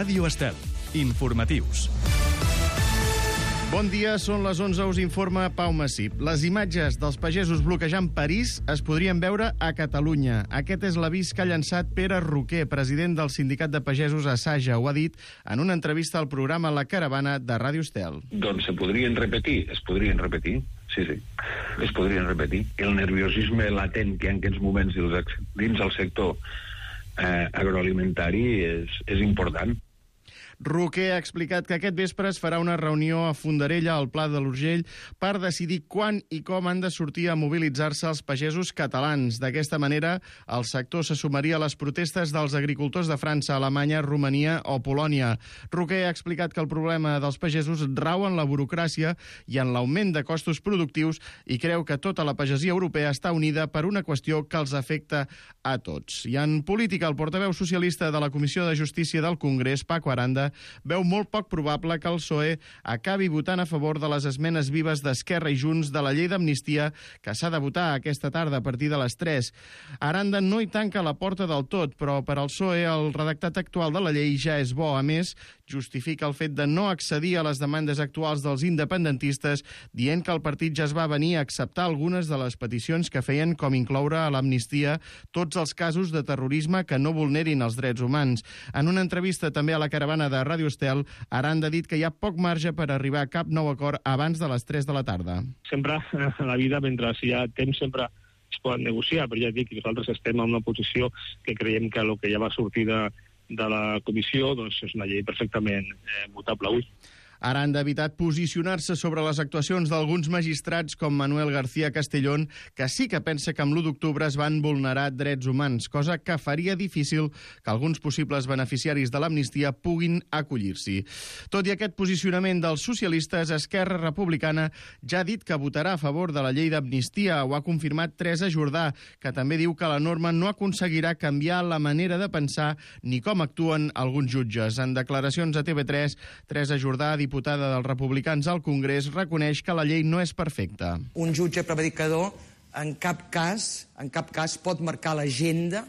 Ràdio Estel. Informatius. Bon dia, són les 11, us informa Pau Massip. Les imatges dels pagesos bloquejant París es podrien veure a Catalunya. Aquest és l'avís que ha llançat Pere Roquer, president del Sindicat de Pagesos Asaja. Ho ha dit en una entrevista al programa La Caravana de Ràdio Estel. Doncs es podrien repetir. Sí. Es podrien repetir. El nerviosisme latent que hi ha en aquests moments dins el sector agroalimentari és important. Roquer ha explicat que aquest vespre es farà una reunió a Fondarella, al Pla de l'Urgell, per decidir quan i com han de sortir a mobilitzar-se els pagesos catalans. D'aquesta manera, el sector se sumaria a les protestes dels agricultors de França, Alemanya, Romania o Polònia. Roquer ha explicat que el problema dels pagesos rau en la burocràcia i en l'augment de costos productius i creu que tota la pagesia europea està unida per una qüestió que els afecta a tots. I en política, el portaveu socialista de la Comissió de Justícia del Congrés, Paco Aranda, veu molt poc probable que el PSOE acabi votant a favor de les esmenes vives d'Esquerra i Junts de la llei d'amnistia que s'ha de votar aquesta tarda a partir de les 3. Aranda no hi tanca la porta del tot, però per al PSOE el redactat actual de la llei ja és bo. A més, justifica el fet de no accedir a les demandes actuals dels independentistes, dient que el partit ja es va venir a acceptar algunes de les peticions que feien, com incloure a l'amnistia tots els casos de terrorisme que no vulnerin els drets humans. En una entrevista també a la Caravana de Ràdio Estel, Aranda ha dit que hi ha poc marge per arribar a cap nou acord abans de les 3 de la tarda. Sempre a la vida, mentre hi ha temps, sempre es poden negociar, però ja dic que nosaltres estem en una posició que creiem que el que ja va sortir de la comissió doncs és una llei perfectament votable avui. Aranda ha evitat posicionar-se sobre les actuacions d'alguns magistrats com Manuel García Castellón, que sí que pensa que amb l'1 d'octubre es van vulnerar drets humans, cosa que faria difícil que alguns possibles beneficiaris de l'amnistia puguin acollir-s'hi. Tot i aquest posicionament dels socialistes, Esquerra Republicana ja ha dit que votarà a favor de la llei d'amnistia. Ho ha confirmat Teresa Jordà, que també diu que la norma no aconseguirà canviar la manera de pensar ni com actuen alguns jutges. En declaracions a TV3, Teresa Jordà, diputada dels republicans al Congrés, reconeix que la llei no és perfecta. Un jutge prevaricador en cap cas pot marcar l'agenda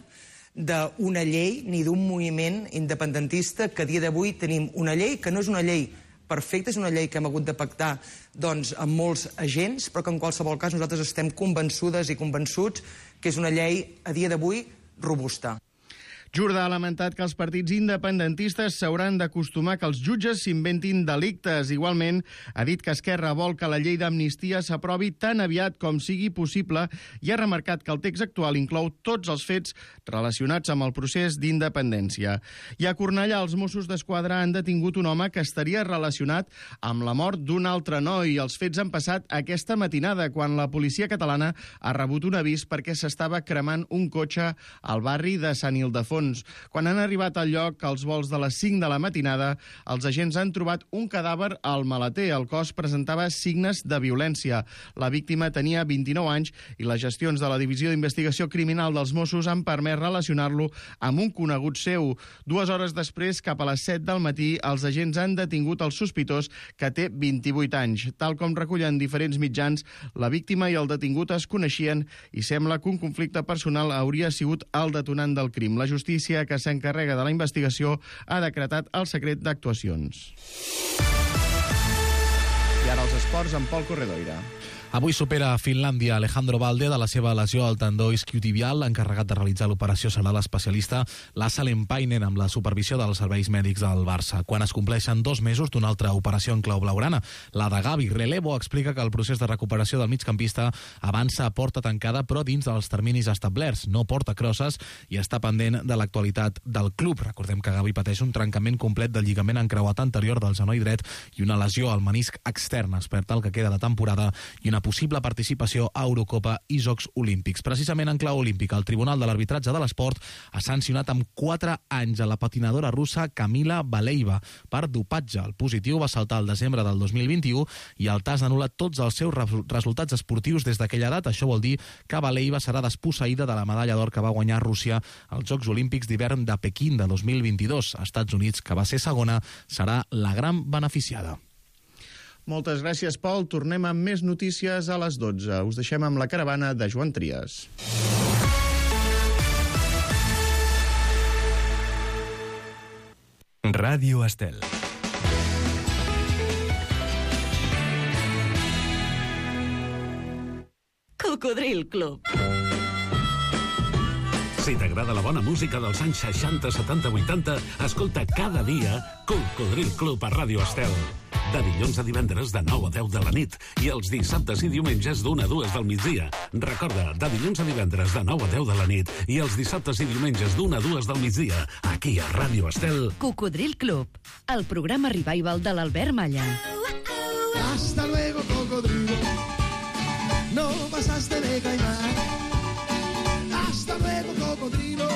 d'una llei ni d'un moviment independentista, que a dia d'avui tenim una llei que no és una llei perfecta, és una llei que hem hagut de pactar amb molts agents, però que en qualsevol cas nosaltres estem convençudes i convençuts que és una llei a dia d'avui robusta. Jordà ha lamentat que els partits independentistes s'hauran d'acostumar que els jutges s'inventin delictes. Igualment, ha dit que Esquerra vol que la llei d'amnistia s'aprovi tan aviat com sigui possible i ha remarcat que el text actual inclou tots els fets relacionats amb el procés d'independència. I a Cornellà, els Mossos d'Esquadra han detingut un home que estaria relacionat amb la mort d'un altre noi. Els fets han passat aquesta matinada, quan la policia catalana ha rebut un avís perquè s'estava cremant un cotxe al barri de Sant Ildefons. Quan han arribat al lloc, als volts de les 5 de la matinada, els agents han trobat un cadàver al maleter. El cos presentava signes de violència. La víctima tenia 29 anys i les gestions de la Divisió d'Investigació Criminal dels Mossos han permès relacionar-lo amb un conegut seu. 2 hores després, cap a les 7 del matí, els agents han detingut el sospitós, que té 28 anys. Tal com recullen diferents mitjans, la víctima i el detingut es coneixien i sembla que un conflicte personal hauria sigut el detonant del crim. La justícia que s'encarrega de la investigació ha decretat el secret d'actuacions. I ara els esports amb Pol Corredoira. Avui supera a Finlàndia Alejandro Balde de la seva lesió al tendó isquiotibial. L'encarregat de realitzar l'operació serà l'especialista Lasse Lempainen, amb la supervisió dels serveis mèdics del Barça. Quan es compleixen 2 mesos d'una altra operació en clau blaugrana, la de Gavi Relevo, explica que el procés de recuperació del migcampista avança a porta tancada, però dins dels terminis establerts. No porta crosses i està pendent de l'actualitat del club. Recordem que Gavi pateix un trencament complet del lligament encreuat anterior del genoll dret i una lesió al menisc extern. Es perd el que queda de temporada i una possible participació a Eurocopa i Jocs Olímpics. Precisament en clau olímpica, el Tribunal de l'Arbitratge de l'Esport ha sancionat amb 4 anys a la patinadora russa Kamila Valieva per dopatge. El positiu va saltar al desembre del 2021 i el TAS ha anul·lat tots els seus resultats esportius des d'aquella data. Això vol dir que Valieva serà desposseïda de la medalla d'or que va guanyar Rússia als Jocs Olímpics d'hivern de Pequín de 2022. Estats Units, que va ser segona, serà la gran beneficiada. Moltes gràcies, Pol. Tornem amb més notícies a les 12. Us deixem amb la caravana de Joan Trias. Ràdio Estel. Cocodril Club. Si t'agrada la bona música dels anys 60, 70, 80, escolta cada dia Cocodril Club a Ràdio Estel. De dilluns a divendres de 9 a 10 de la nit i els dissabtes i diumenges d'1 a 2 del migdia. Recorda, de dilluns a divendres de 9 a 10 de la nit i els dissabtes i diumenges d'1 a 2 del migdia, aquí a Ràdio Estel. Cocodril Club, el programa revival de l'Albert Malla. Hasta luego, cocodrilo. No pasaste de caimán. Hasta luego, cocodrilo.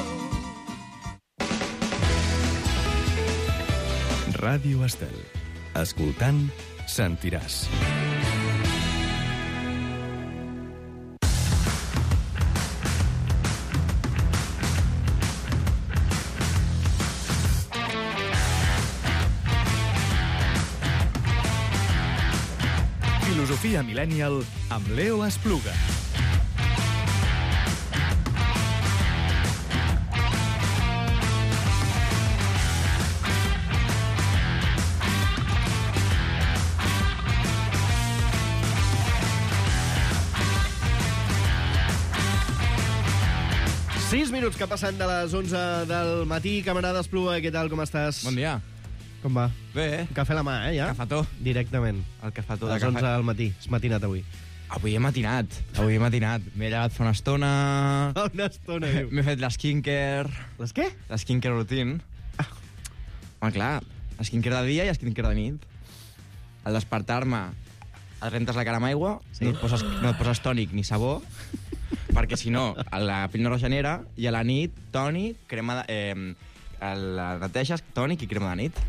Ràdio Estel. Escoltant, sentiràs. Filosofia Millennial amb Leo Espluga. Sis minuts que passen de les 11 del matí. Camarada Espluga, què tal, com estàs? Bon dia. Com va? Bé. Cafè a la mà, ja? Cafetó. Directament. El cafetó A les 11 del matí. És matinat avui. Avui he matinat. M'he llevat fa una estona. Una estona, diu. M'he fet l'esquincare. Les què? L'esquincare routine. Home, clar, l'esquincare de dia i l'esquincare de nit. Al despertar-me, et rentes la cara amb aigua, no et poses tònic ni sabó, perquè si no, la pell no regenera, i a la nit, tònic, crema de... la neteges, tònic i crema de nit.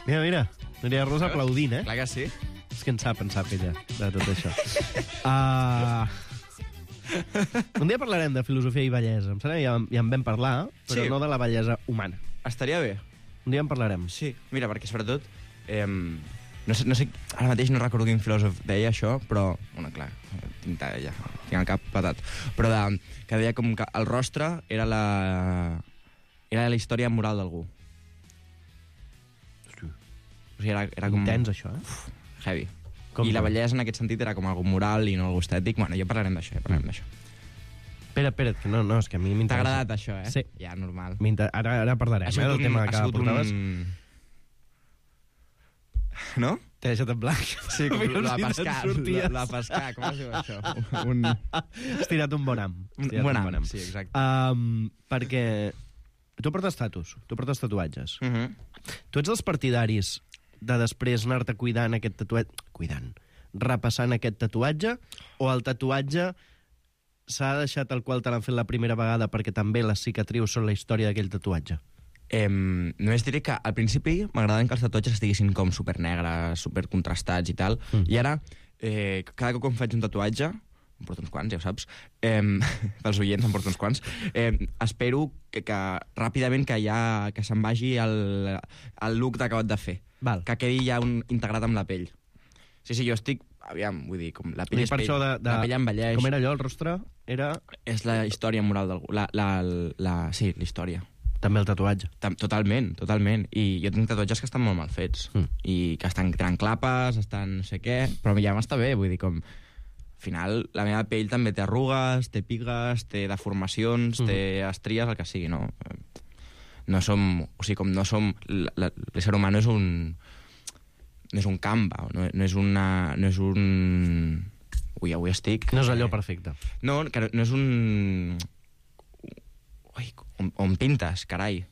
Mira, Núria Rosa aplaudint, eh? Clar que sí. És que en sap ella, de tot això. Un dia parlarem de filosofia i bellesa. Em sembla que ja en vam parlar, però Sí. no de la bellesa humana. Estaria bé. Un dia en parlarem. Sí, mira, perquè sobretot... no sé, ara mateix no recordo quin filòsof deia això, però... Bueno, clar, tinc el cap patat. Però que deia com que el rostre era la història moral d'algú. O sigui, era com... Intens, això, eh? Heavy. Com I la que? bellesa en aquest sentit era com algo moral i no algo estètic. Bueno, ja parlarem d'això, Espera't, que no, és que a mi T'ha m'interessa. agradat això, eh? Sí. Ja, normal. Ara parlarem, del tema que portaves. No? T'he deixat en blanc. Sí, com Mira la si pescar. te'n sorties. La pescar, com es diu això? Has tirat un bon am. Un bon am, sí, exacte. Perquè tu portes tatuatges. Mhm. Tu ets dels partidaris de després anar-te cuidant aquest tatuatge... repassant aquest tatuatge, o el tatuatge s'ha deixat tal qual te l'han fet la primera vegada perquè també les cicatrius són la història d'aquell tatuatge? Només diré que al principi m'agradaven que els tatuatges estiguessin com supernegres, supercontrastats i tal, i ara, cada cop que em faig un tatuatge, em porto uns quants, ja ho saps, pels oients em porto uns quants, espero que ràpidament que se'n vagi el look d'acabat de fer. Val. Que quedi ja integrat amb la pell. Sí, jo estic... Aviam, vull dir, com la pell és per pell, això la pell envelleix. Com era allò, el rostre? És la història moral d'algú. Sí, la història. També el tatuatge. Totalment. I jo tinc tatuatges que estan molt mal fets. I que tenen clapes, estan no sé què, però ja m'està bé, vull dir, com... Al final, la meva pell també té arrugues, té pigues, té deformacions, té estries, el que sigui, no? No som... O sigui, com no som... L'ésser humà no és un... No és un Canva, no és un... Ui, avui estic... No és allò perfecte. No, que no és un... Ui, on pintes, carai.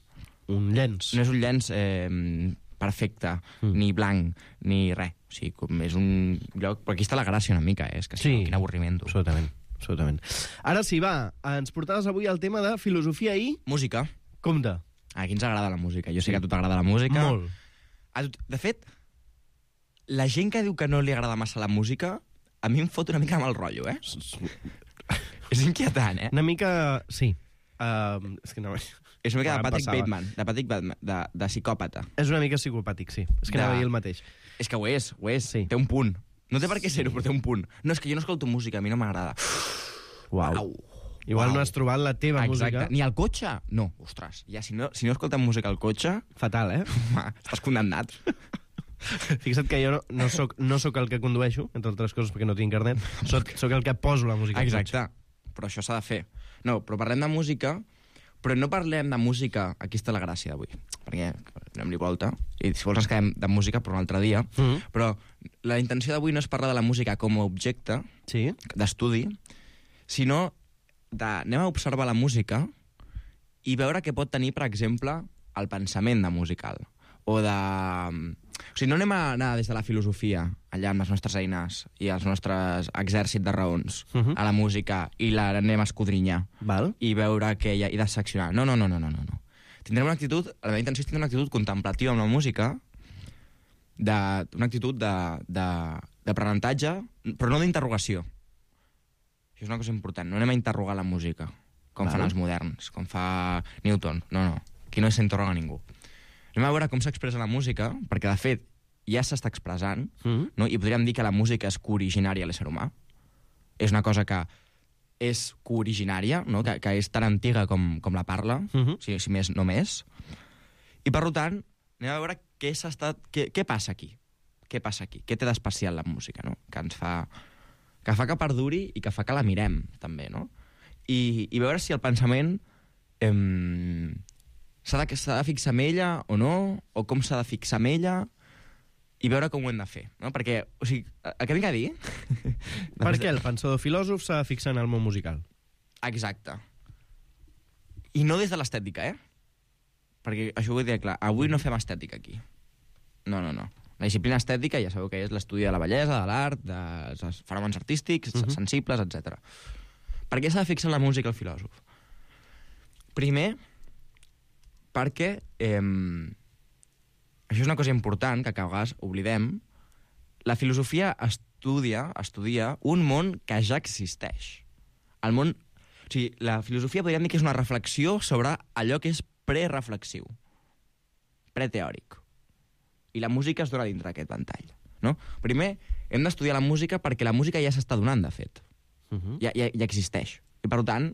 Un llenç. No és un llenç perfecte, ni blanc, ni res. O sigui, com és un lloc... Però aquí està la gràcia una mica, és que sí, quin avorriment. Absolutament. Ara sí, va, ens portaves avui el tema de filosofia i... Música. Compte. Aquí ens agrada la música. Jo sé que a tu t'agrada la música. Molt. De fet, la gent que diu que no li agrada massa la música, a mi em fot una mica mal rotllo, eh? És inquietant, eh? Una mica... Sí. És que no... És una mica de Patrick Bateman, de psicòpata. És una mica psicopàtic, sí. És que anava a dir el mateix. És que ho és. Sí. Té un punt. No té per què ser-ho, però té un punt. No, és que jo no escolto música, a mi no m'agrada. Uau. Igual no has trobat la teva música. Ni al cotxe? No, ostres. Ja, si no escoltem música al cotxe... Fatal, Estàs condemnat. Fixa't que jo no soc el que condueixo, entre altres coses perquè no tinc carnet, soc el que poso la música al cotxe. Exacte, però això s'ha de fer. No, però parlem de música, però no parlem de música... Aquí està la gràcia d'avui, perquè anem-li volta, i si vols ens quedem de música per un altre dia, però la intenció d'avui no és parlar de la música com a objecte d'estudi, sinó anem a observar la música i veure què pot tenir, per exemple, el pensament de musical. O sigui, no anem a anar des de la filosofia, allà amb les nostres eines i els nostres exèrcit de raons, a la música, i l'anem a escodrinyar. I veure què hi ha, i disseccionar. No. Tindrem una actitud, la meva intenció és tindre una actitud contemplativa amb la música, una actitud d'aprenentatge, però no d'interrogació. Això és una cosa important. No anem a interrogar la música, com fan els moderns, com fa Newton. No. Aquí no s'interroga ningú. Anem a veure com s'expressa la música, perquè, de fet, ja s'està expressant, no? I podríem dir que la música és cooriginària a l'ésser humà. És una cosa que és cooriginària, no? Que és tan antiga com la parla, si més no més. I, per tant, anem a veure què passa aquí. Què té d'especial la música, no? Que fa que perduri i que fa que la mirem, també, no? I veure si el pensament s'ha de fixar en ella o no, o com s'ha de fixar en ella, i veure com ho hem de fer, no? Perquè, o sigui, el que vinc a dir... Per què el pensador filòsof s'ha de fixar en el món musical? Exacte. I no des de l'estètica, Perquè això ho vull dir clar, avui no fem estètica aquí. No. La disciplina estètica ja sabeu que és l'estudi de la bellesa, de l'art, dels fenòmens artístics, sensibles, etc. Per què s'ha de fixar en la música el filòsof? Primer, perquè això és una cosa important que a vegades oblidem. La filosofia estudia un món que ja existeix. O sigui, la filosofia podríem dir que és una reflexió sobre allò que és prereflexiu, preteòric. I la música es dona dintre d'aquest ventall, no? Primer, hem d'estudiar la música perquè la música ja s'està donant, de fet. Ja existeix. I, per tant,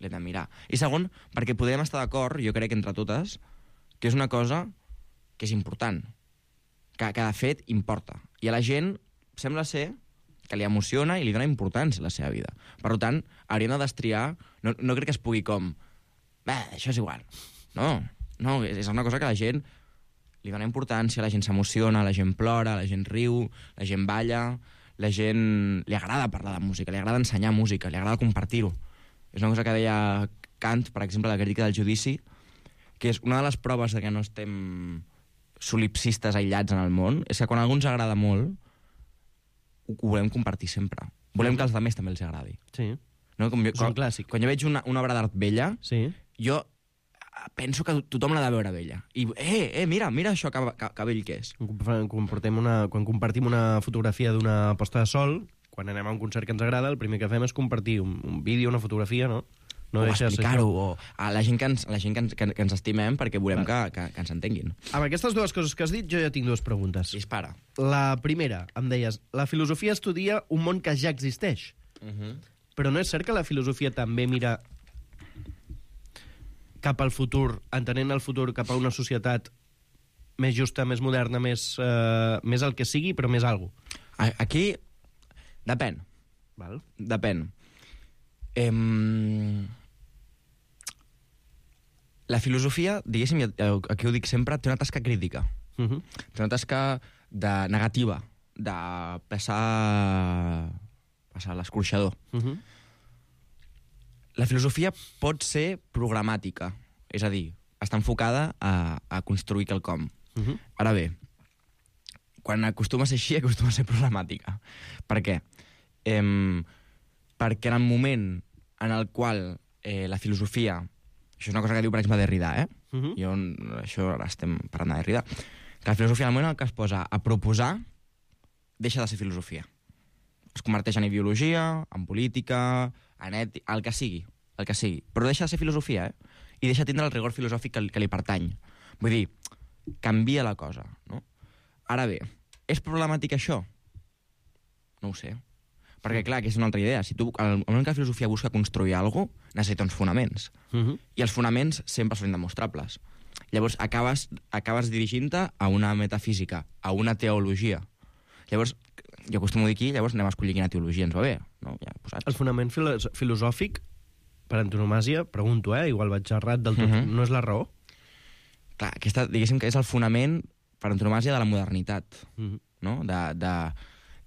l'hem de mirar. I segon, perquè podem estar d'acord, jo crec, entre totes, que és una cosa que és important, que de fet importa. I a la gent sembla ser que li emociona i li dona importància a la seva vida. Per tant, hauríem de destriar... No crec que es pugui com... això és igual. No, és una cosa que la gent li dona importància, la gent s'emociona, la gent plora, la gent riu, la gent balla, la gent li agrada parlar de música, li agrada ensenyar música, li agrada compartir-ho. És una cosa que deia Kant, per exemple, a la crítica del judici, que és una de les proves de que no estem solipsistes aïllats en el món, és que quan a algú ens agrada molt, ho volem compartir sempre. Volem que als altres també els agradi. Sí. No? És un clàssic. Quan jo veig una obra d'art bella, jo penso que tothom l'ha de veure bella. I, mira això que bell que és. Quan compartim una fotografia d'una posta de sol, quan anem a un concert que ens agrada, el primer que fem és compartir un vídeo, una fotografia, no? O explicar-ho, o a la gent que ens estimem perquè volem que ens entenguin. Amb aquestes dues coses que has dit, jo ja tinc dues preguntes. Dispara. La primera, em deies, la filosofia estudia un món que ja existeix. Però no és cert que la filosofia també mira cap al futur, entenent el futur cap a una societat més justa, més moderna, més el que sigui, però més algo? Aquí depèn. Depèn. La filosofia, diguéssim, aquí ho dic sempre, té una tasca crítica. Té una tasca negativa, de passar l'escorxador. La filosofia pot ser programàtica, és a dir, està enfocada a construir quelcom. Ara bé, quan acostuma a ser així, acostuma a ser problemàtica. Per què? Perquè en el moment en el qual la filosofia... Això és una cosa que diu, per exemple, Derrida, això ara estem parlant de Derrida, que la filosofia, en el moment en què es posa a proposar, deixa de ser filosofia. Es converteix en ideologia, en política, en ètica, el que sigui. Però deixa de ser filosofia, i deixa de tindre el rigor filosòfic que li pertany. Vull dir, canvia la cosa, no? Ara bé, és problemàtic això? No ho sé. Perquè, clar, que és una altra idea. Si tu, al moment que la filosofia busca construir alguna cosa, necessita uns fonaments. I els fonaments sempre són indemostrables. Llavors, acabes dirigint-te a una metafísica, a una teologia. Llavors, jo acostumo a dir aquí, llavors anem a escollir quina teologia ens va bé. No? Ja posats. El fonament filosòfic, per antonomàsia, pregunto, igual vaig errat del tot, no és la raó? Clar, aquesta, diguéssim que és el fonament per antonomàsia de la modernitat, no?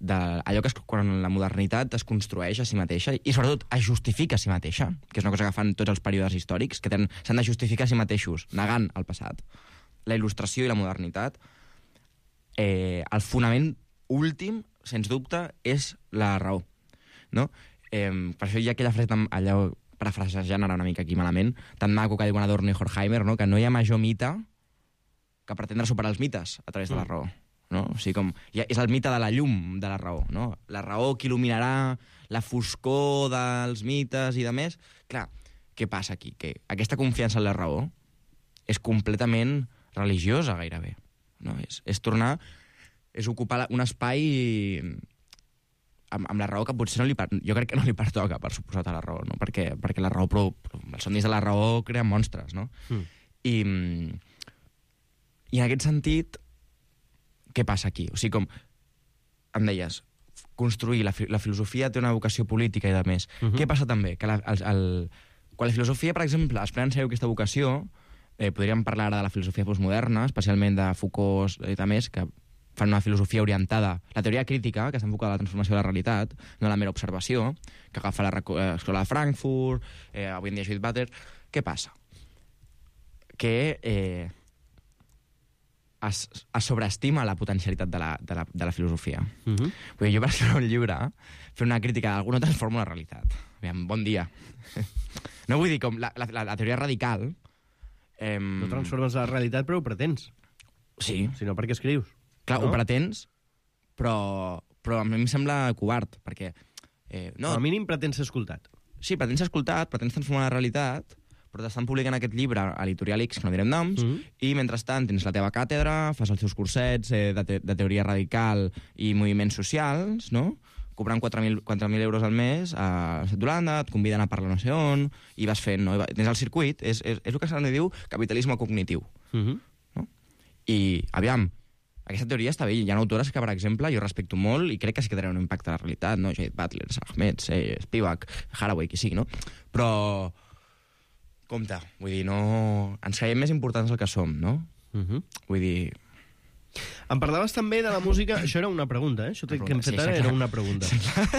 Allò que quan la modernitat es construeix a si mateixa i sobretot es justifica a si mateixa, que és una cosa que fan tots els períodes històrics, que s'han de justificar a si mateixos, negant el passat. La il·lustració i la modernitat, el fonament últim, sens dubte, és la raó. No? Per això hi ha aquella frase, allò, parafrasejant ara una mica aquí malament, tan maco que diuen Adorno i Horkheimer, no? Que no hi ha major mite que pretendre superar els mites a través de la raó. No? O sigui, és el mite de la llum de la raó, no? La raó que il·luminarà la foscor dels mites i de més. Clar, què passa aquí? Que aquesta confiança en la raó és completament religiosa, gairebé. No? És tornar... És ocupar un espai amb la raó que potser jo crec que no li pertoca, per suposat, a la raó, no? Perquè la raó... els somnis de la raó creen monstres, no? I en aquest sentit, què passa aquí? O sigui, com em deies, construir la filosofia té una vocació política i de més. Què passa també? Que quan la filosofia, per exemple, es pren en sèrio aquesta vocació, podríem parlar ara de la filosofia postmoderna, especialment de Foucault i de més, que fan una filosofia orientada, la teoria crítica, que està enfocada a la transformació de la realitat, no a la mera observació, que agafa l'escola de Frankfurt, avui en dia Judith Butler. Què passa? Que es sobreestima la potencialitat de la filosofia. Vull dir, jo per escriure un llibre, fer una crítica d'algú no transforma la realitat. Aviam, bon dia. No vull dir com la teoria radical... No transformes la realitat, però ho pretens. Sí. Si no, per què escrius? Clar, ho pretens, però a mi em sembla covard, perquè... No. Al mínim pretens ser escoltat. Sí, pretens ser escoltat, pretens transformar la realitat, però t'estan publicant aquest llibre a l'editorial X, que no direm noms, i mentrestant tens la teva càtedra, fas els teus cursets de teoria radical i moviments socials, no? Cobrant 4.000 euros al mes a l'Estat d'Holanda, et conviden a parlar no sé on, i vas fent, no? Tens el circuit, és el que se n'hi diu capitalisme cognitiu. No? I, aviam, aquesta teoria està bé. Hi ha autores que, per exemple, jo respecto molt i crec que sí que tenen un impacte a la realitat, no? Judith Butler, Ahmed, Spivak, Haraway, qui sigui, no? Però, compte, vull dir, no... Ens creiem més importants del que som, no? Vull dir... Em parlaves també de la música... Això era una pregunta, Això que hem fet ara era una pregunta.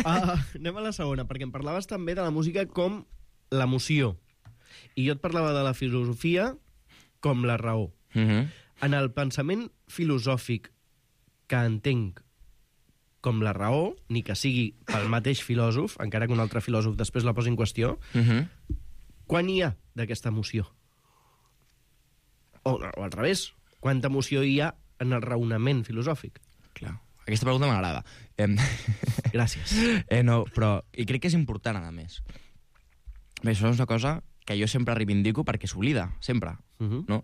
Anem a la segona, perquè em parlaves també de la música com l'emoció. I jo et parlava de la filosofia com la raó. En el pensament filosòfic que entenc com la raó, ni que sigui pel mateix filòsof, encara que un altre filòsof després la posi en qüestió, quan hi ha d'aquesta emoció? O al revés, quanta emoció hi ha en el raonament filosòfic? Clar, aquesta pregunta m'agrada. Gràcies. No, però... I crec que és important, a més. Bé, això és una cosa que jo sempre reivindico perquè s'oblida, sempre, no?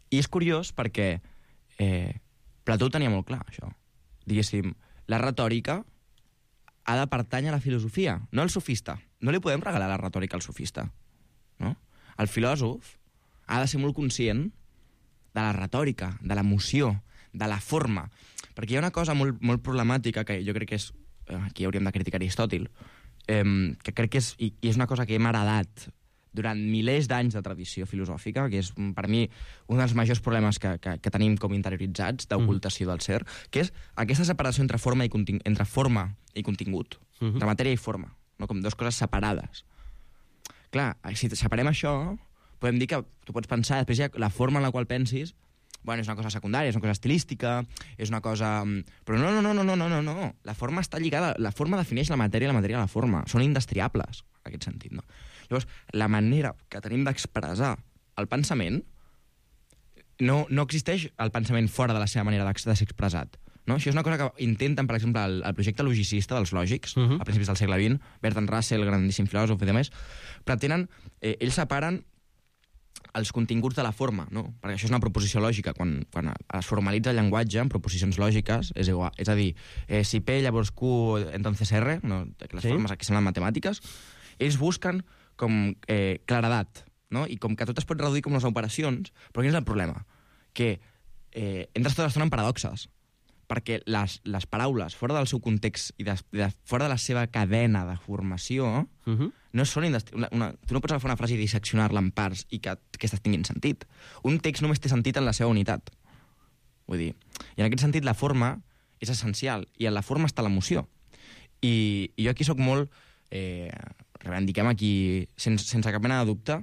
I és curiós perquè Plató ho tenia molt clar, això. Diguéssim, la retòrica ha de pertànyer a la filosofia, no al sofista. No li podem regalar la retòrica al sofista, no? El filòsof ha de ser molt conscient de la retòrica, de l'emoció, de la forma. Perquè hi ha una cosa molt, molt problemàtica que jo crec que és... Aquí hauríem de criticar Aristòtil, que crec que és... I és una cosa que hem heredat durant milers d'anys de tradició filosòfica, que és, per mi, un dels majors problemes que tenim com interioritzats d'ocultació del ser, que és aquesta separació entre forma i contingut, entre matèria i forma, no? Com dues coses separades. Clar, si separem això, podem dir que tu pots pensar, després hi ha la forma en la qual pensis, bueno, és una cosa secundària, és una cosa estilística, és una cosa... Però no. La forma està lligada... La forma defineix la matèria la forma. Són indestriables, en aquest sentit, no? Llavors, la manera que tenim d'expressar el pensament no existeix el pensament fora de la seva manera de ser expressat. No? Això és una cosa que intenten, per exemple, el projecte logicista dels lògics, a principis del segle XX, Bertrand Russell, grandíssim filòsof i demés, pretenen... ells separen els continguts de la forma, no? Perquè això és una proposició lògica. Quan es formalitza el llenguatge en proposicions lògiques, és igual. És a dir, si P llavors Q, entonces R, no? Les formes aquí són les matemàtiques, ells busquen com claredat, no? I com que tot es pot reduir com les operacions, però quin és el problema? Que entres tota l'estona en paradoxes, perquè les paraules, fora del seu context i fora de la seva cadena de formació, no són tu no pots agafar una frase i disseccionar-la en parts i que aquestes tinguin sentit. Un text només té sentit en la seva unitat. Vull dir, i en aquest sentit la forma és essencial, i en la forma està l'emoció. I jo aquí sóc molt... reivindiquem aquí, sense cap mena de dubte,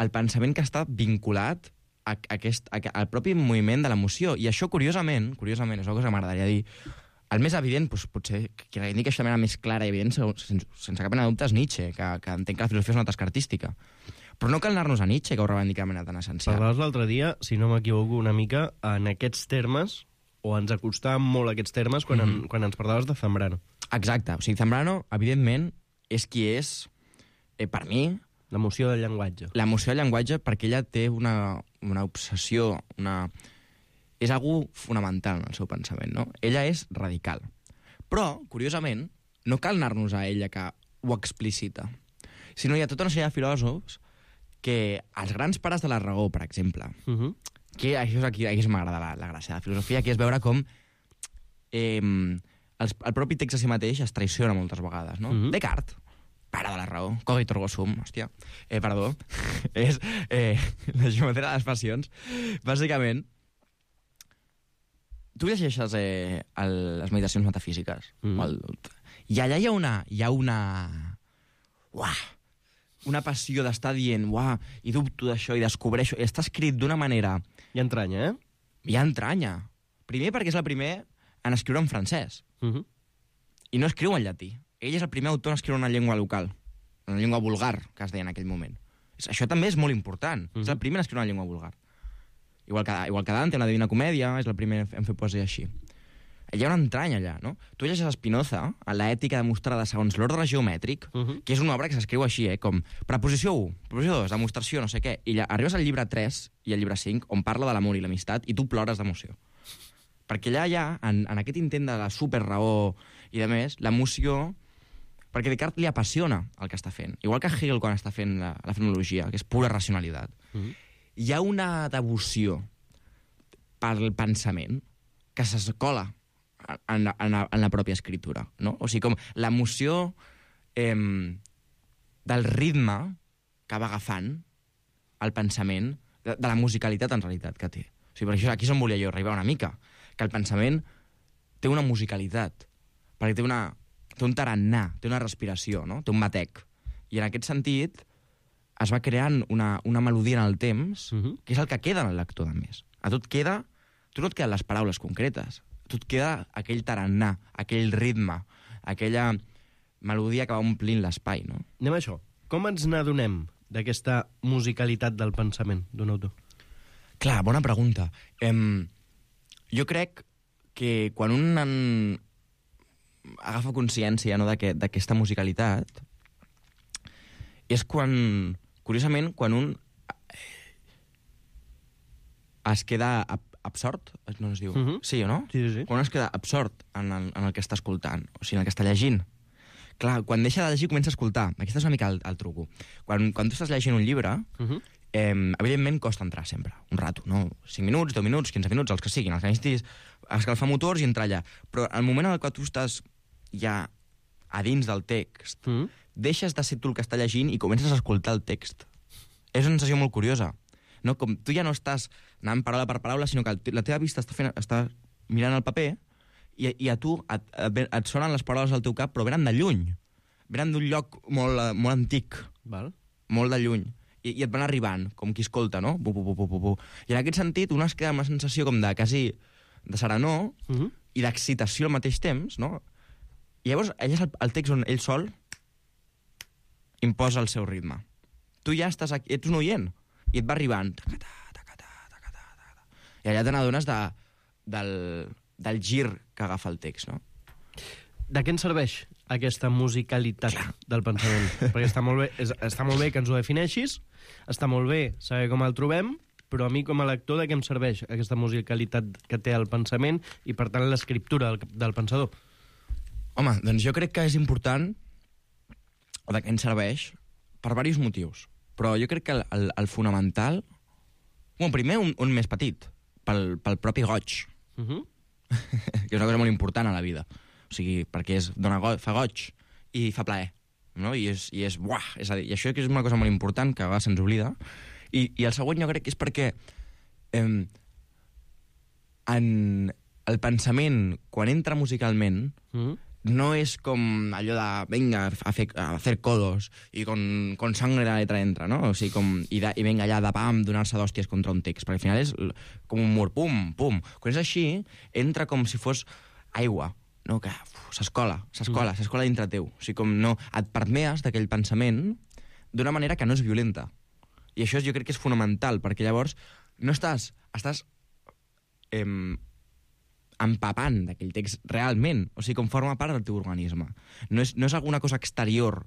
el pensament que està vinculat al propi moviment de l'emoció. I això, curiosament, és una cosa que m'agradaria dir, el més evident, doncs, potser, qui reivindica això de manera més clara i evident, sense cap mena de dubte, és Nietzsche, que entenc que la filosofia és una tasca artística. Però no cal anar-nos a Nietzsche, que ho reivindica de manera tan essencial. Parlaves l'altre dia, si no m'equivoco una mica, en aquests termes, o ens acostàvem molt a aquests termes quan ens parlaves de Zambrano. Exacte. O sigui, Zambrano, evidentment, és qui és, per mi... L'emoció del llenguatge. L'emoció del llenguatge, perquè ella té una obsessió, és algú fonamental en el seu pensament, no? Ella és radical. Però, curiosament, no cal anar-nos a ella que ho explicita, sinó hi ha tota una sèrie de filòsofs que els grans pares de la raó, per exemple, que això és aquí m'agrada la gràcia de la filosofia, que és veure com el propi text a si mateix es traiciona moltes vegades, no? Descartes, pare de la raó, cogito ergo sum, hòstia, perdó, és la geometria de les passions. Bàsicament, tu llegeixes les meditacions metafísiques, i allà hi ha una passió d'estar dient, i dubto d'això, i descobreixo, i està escrit d'una manera... Hi ha entranya, Hi ha entranya. Primer perquè és el primer en escriure en francès, i no escriu en llatí. Ell és el primer autor en escriure una llengua local, una llengua vulgar, que es deia en aquell moment. Això també és molt important. És el primer en escriure una llengua vulgar. Igual que Dante, en la Divina Comèdia, és el primer en fer poesia així. Hi ha una entranya allà, no? Tu llegeixes Spinoza, a l'ètica demostrada segons l'ordre geomètric, que és una obra que s'escriu així, com preposició 1, preposició 2, demostració, no sé què, i arribes al llibre 3 i al llibre 5, on parla de l'amor i l'amistat, i tu plores d'emoció. Perquè allà hi ha, en aquest intent de la superraó i de més, l'emoció... Perquè Descartes li apassiona el que està fent. Igual que Hegel quan està fent la fenomenologia, que és pura racionalitat. Hi ha una devoció pel pensament que s'escola en la pròpia escritura, no? O sigui, com l'emoció del ritme que va agafant el pensament, de la musicalitat en realitat que té. O sigui, per això aquí és on volia jo arribar una mica, que el pensament té una musicalitat, perquè té un tarannà, té una respiració, no? Té un batec. I en aquest sentit es va creant una melodia en el temps, que és el que queda en el lector, de més. A tu no et queden les paraules concretes, a tu et queda aquell tarannà, aquell ritme, aquella melodia que va omplint l'espai, no? Anem a això. Com ens n'adonem d'aquesta musicalitat del pensament d'un autor? Clar, bona pregunta. Jo crec que quan un agafa consciència, no, d'aquesta musicalitat, és curiosament, quan un es queda absort, no es diu? Sí o no? Sí. Quan un es queda absort en el que està escoltant, o sigui, en el que està llegint. Clar, quan deixa de llegir comença a escoltar. Aquest és una mica el truco. Quan tu estàs llegint un llibre, evidentment costa entrar sempre, un rato, no? 5 minuts, 10 minuts, 15 minuts, els que siguin, els que necessitis escalfar motors i entrar allà. Però al moment en el que tu estàs ja a dins del text, deixes de ser tu el que està llegint i comences a escoltar el text. És una sensació molt curiosa. No? Com tu ja no estàs anant paraula per paraula, sinó que la teva vista està mirant el paper i a tu et sonen les paraules al teu cap, però venen de lluny. Venen d'un lloc molt antic. Val. Molt de lluny. I et van arribant, com qui escolta, no? I en aquest sentit, un es queda amb una sensació com de quasi de serenor i d'excitació al mateix temps, no? I llavors, ell és el text on ell sol imposa el seu ritme. Tu ja estàs aquí, ets un oient, i et va arribant. I allà te n'adones del gir que agafa el text, no? De què ens serveix aquesta musicalitat del pensament? Perquè està molt bé que ens ho defineixis, està molt bé saber com el trobem, però a mi com a lector de què em serveix aquesta musicalitat que té el pensament i, per tant, l'escriptura del pensador? Home, doncs jo crec que és important, o de què ens serveix, per diversos motius. Però jo crec que el fonamental... Bueno, primer, un més petit, pel propi goig. Que és una cosa molt important a la vida. O sigui, perquè fa goig i fa plaer. No? I és buah! És a dir, i això és una cosa molt important que a vegades se'ns oblida. I el següent jo crec que és perquè en el pensament, quan entra musicalment, no és com allò de, venga, a hacer codos, i con sangre la letra entra, no? O sigui, i venga allà de pam, donar-se d'hòsties contra un text, perquè al final és com un mur, pum, pum. Quan és així, entra com si fos aigua, no? Que s'escola dintre teu. O sigui, com no, et permees d'aquell pensament d'una manera que no és violenta. I això jo crec que és fonamental, perquè llavors no estàs empapant d'aquell text realment, o sigui, com forma part del teu organisme. No és alguna cosa exterior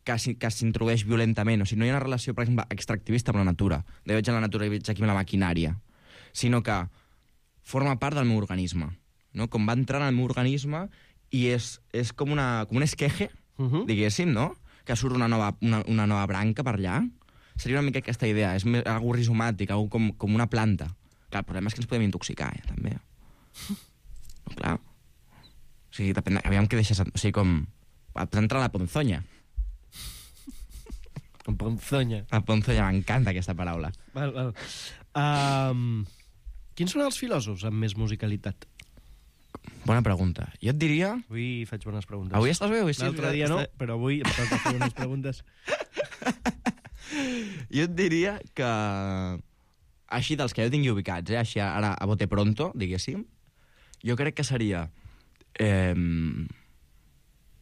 que s'introdueix violentament, o sigui, no hi ha una relació, per exemple, extractivista amb la natura. De veig en la natura i veig aquí amb la maquinària, sinó que forma part del meu organisme, no? Com va entrar en el meu organisme i és com un esqueje, diguéssim, no? Que surt una nova branca per allà. Seria una mica aquesta idea, és algo rizomàtic, algo com una planta. Clar, el problema és que ens podem intoxicar, també. No, clar. O sigui, depèn, aviam què deixes... O sigui, com... Pots entrar a la ponzonya. La ponzonya. La ponzonya, m'encanta aquesta paraula. Val. Quins són els filòsofs amb més musicalitat? Bona pregunta. Jo et diria... Avui faig bones preguntes. Avui estàs bé? L'altre dia no, però avui em toca fer unes preguntes. Jo et diria que... Així dels que jo tingui ubicats, així ara a bote pronto, diguéssim, jo crec que seria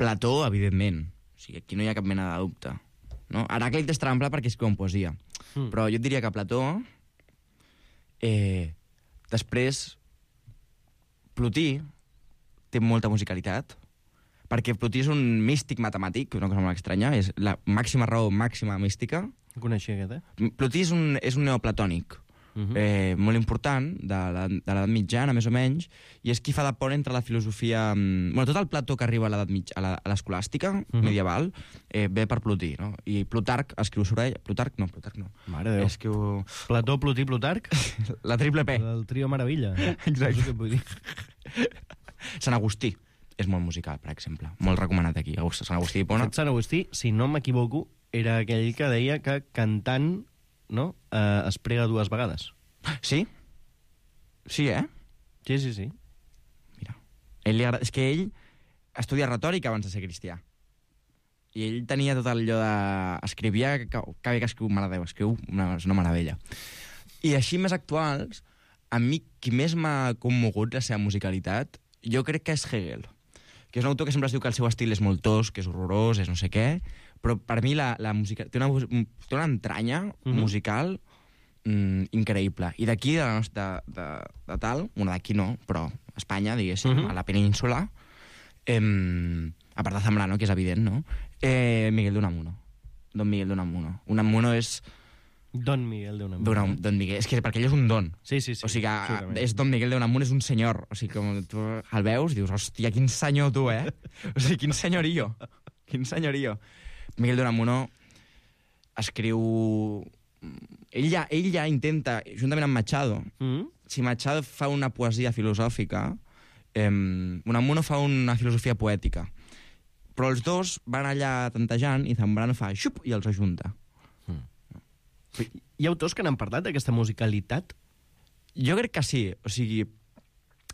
Plató, evidentment. O sigui, aquí no hi ha cap mena de dubte. No? Heràclit és trampa perquè escriu en poesia. Però jo et diria que Plató... després, Plotí té molta musicalitat, perquè Plotí és un místic matemàtic, una cosa molt estranya, és la màxima raó, màxima mística. No coneixia aquest, Plotí és un neoplatònic, molt important, de l'edat mitjana, més o menys, i és qui fa de pont entre la filosofia... Bueno, tot el Plató que arriba a l'escolàstica medieval ve per Plotí, no? I Plutarc escriu sobre ell... Plutarc no. Mare de Déu. Escriu... Plató, Plotí, Plutarc? La triple P. El trio Meravella. Exacte. No sé què vull dir. Sant Agustí és molt musical, per exemple. Molt recomanat aquí. Sant Agustí d'Hipona. Sant Agustí, si no m'equivoco, era aquell que deia que cantant, no, es prega 2 vegades. Sí? Sí, eh? Sí. Mira. És que ell estudia retòrica abans de ser cristià. I ell tenia tot allò de... Escrivia que bé que escriu, mare de Déu, escriu és una meravella. I així més actuals, a mi qui més m'ha commogut la seva musicalitat, jo crec que és Hegel, que és un autor que sempre es diu que el seu estil és molt tosc, que és horrorós, és no sé què, però per mi la música té una entranya musical increïble. I d'aquí, de tal, bueno, d'aquí no, però a Espanya, diguéssim, a la península, a part de Zambrano, que és evident, no? Miguel de Unamuno. Don Miguel de Unamuno. Unamuno és... Don Miguel de Unamuno. Don Miguel. És que perquè ell és un don. Sí. O sigui, és Don Miguel de Unamuno, és un senyor. O sigui, com tu el veus, dius, hòstia, quin senyor tu, eh? O sigui, quin senyorio. Quin senyorio. Miguel de Unamuno escriu... Ell ja intenta, juntament amb Machado, si Machado fa una poesia filosòfica, Unamuno fa una filosofia poètica. Però els dos van allà tantejant i Zambrano fa xup i els ajunta. Hi ha autors que n'han parlat d'aquesta musicalitat? Jo crec que sí. O sigui,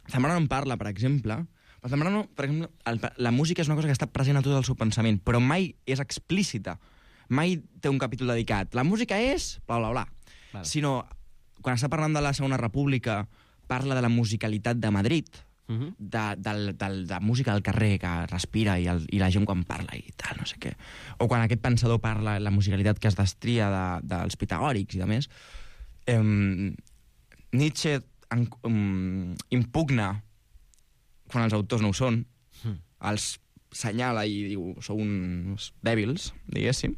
Zambrano en parla, per exemple. Però Zambrano, per exemple, la música és una cosa que està present a tot el seu pensament, però mai és explícita. Mai té un capítol dedicat. La música és... bla, bla, bla. Vale. Sinó, quan està parlant de la Segona República, parla de la musicalitat de Madrid, de música del carrer que respira i la gent quan parla i tal, no sé què. O quan aquest pensador parla la musicalitat que es destria dels pitagòrics i de més. Nietzsche impugna, quan els autors no ho són, els senyala i diu, sou uns dèbils, diguéssim,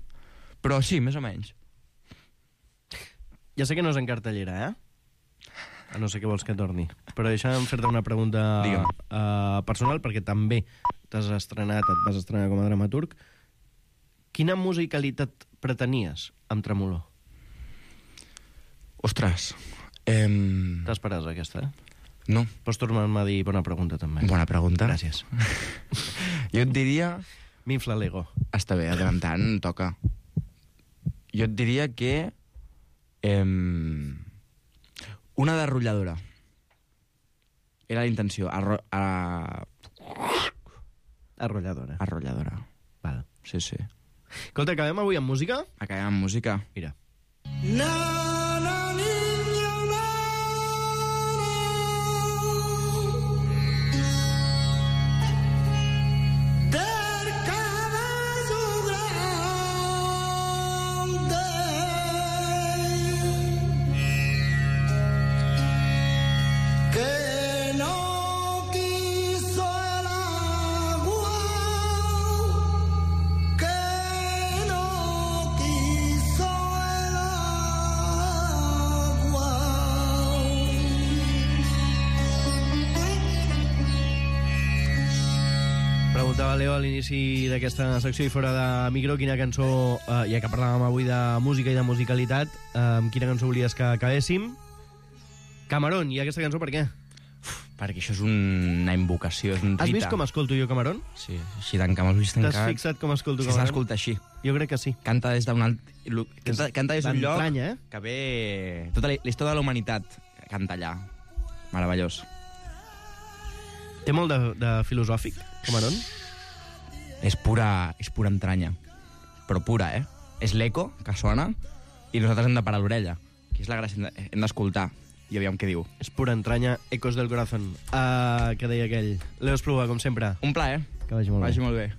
però sí, més o menys. Ja sé que no és en cartellera, a no sé què vols que torni, però deixa'm fer-te una pregunta personal, perquè també et vas estrenar com a dramaturg. Quina musicalitat pretenies amb Tremolor? Ostres. T'esperes aquesta, No. Pots tornar-me a dir bona pregunta, també. Bona pregunta. Gràcies. Jo et diria... M'infla l'ego. Està bé, de tant en tant toca. Jo et diria que... una derrotlladora. Era la intenció. Arrolladora. Arrolladora. Val. Sí, sí. Escolta, acabem avui amb música? Acabem amb música. Mira. Leo, a l'inici d'aquesta secció i fora de micro, quina cançó, ja que parlàvem avui de música i de musicalitat, quina cançó volies que acabéssim? Camarón, i aquesta cançó per què? Perquè això és una invocació, és un rita. Has vist com escolto jo Camarón? Sí, així tancant els ulls tancats. T'has fixat com escolto Camarón? S'escolta així. Jo crec que sí. Canta des d'un alt... Canta des d'un lloc que ve... Tota la història de la humanitat canta allà. Meravellós. Té molt de filosòfic, Camarón? És pura entranya. Però pura, És l'eco que sona i nosaltres hem de parar l'orella. Aquí és la gràcia, hem d'escoltar i aviam què diu. És pura entranya, ecos del corazón. Que deia aquell. Leo Espluga, com sempre. Un plaer. Que vagi molt bé. Vagi molt bé.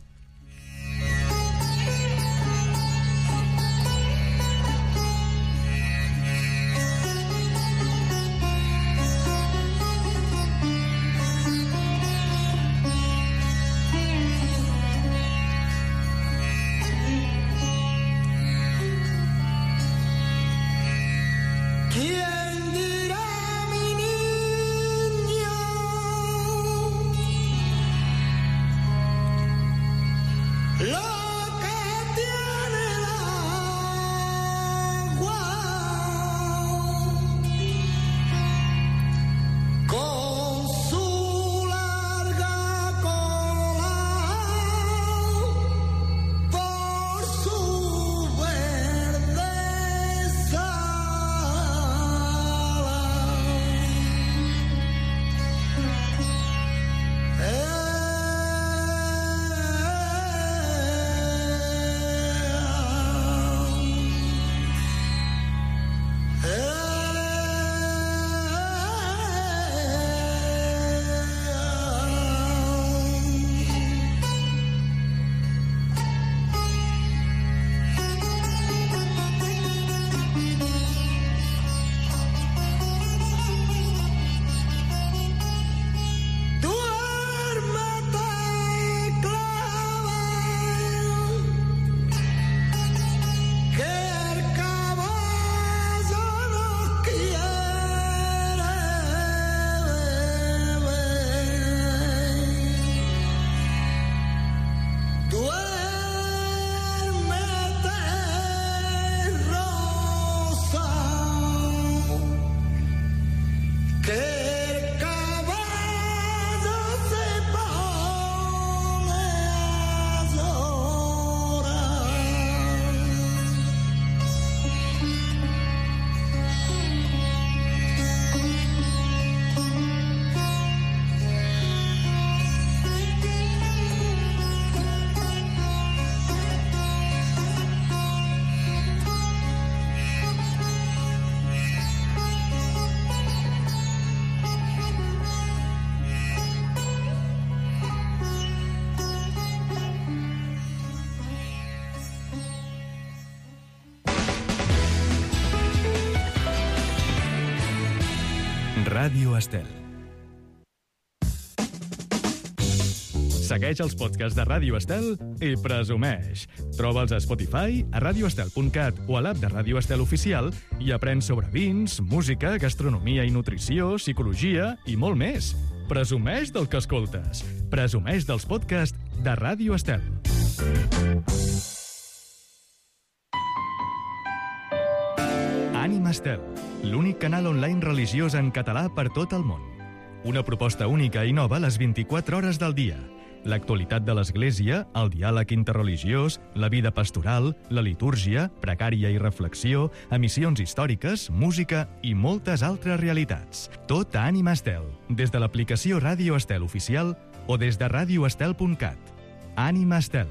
Ràdio Estel. Segueix els podcasts de Ràdio Estel i presumeix. Troba'ls a Spotify, a radioestel.cat o a l'app de Ràdio Estel Oficial i aprèn sobre vins, música, gastronomia i nutrició, psicologia i molt més. Presumeix del que escoltes. Presumeix dels podcasts de Ràdio Estel. Ànima Estel, l'únic canal online religiós en català per tot el món. Una proposta única i nova a les 24 hores del dia. L'actualitat de l'Església, el diàleg interreligiós, la vida pastoral, la litúrgia, pregària i reflexió, emissions històriques, música i moltes altres realitats. Tot a Ànima Estel, des de l'aplicació Ràdio Estel Oficial o des de radioestel.cat. Ànima Estel,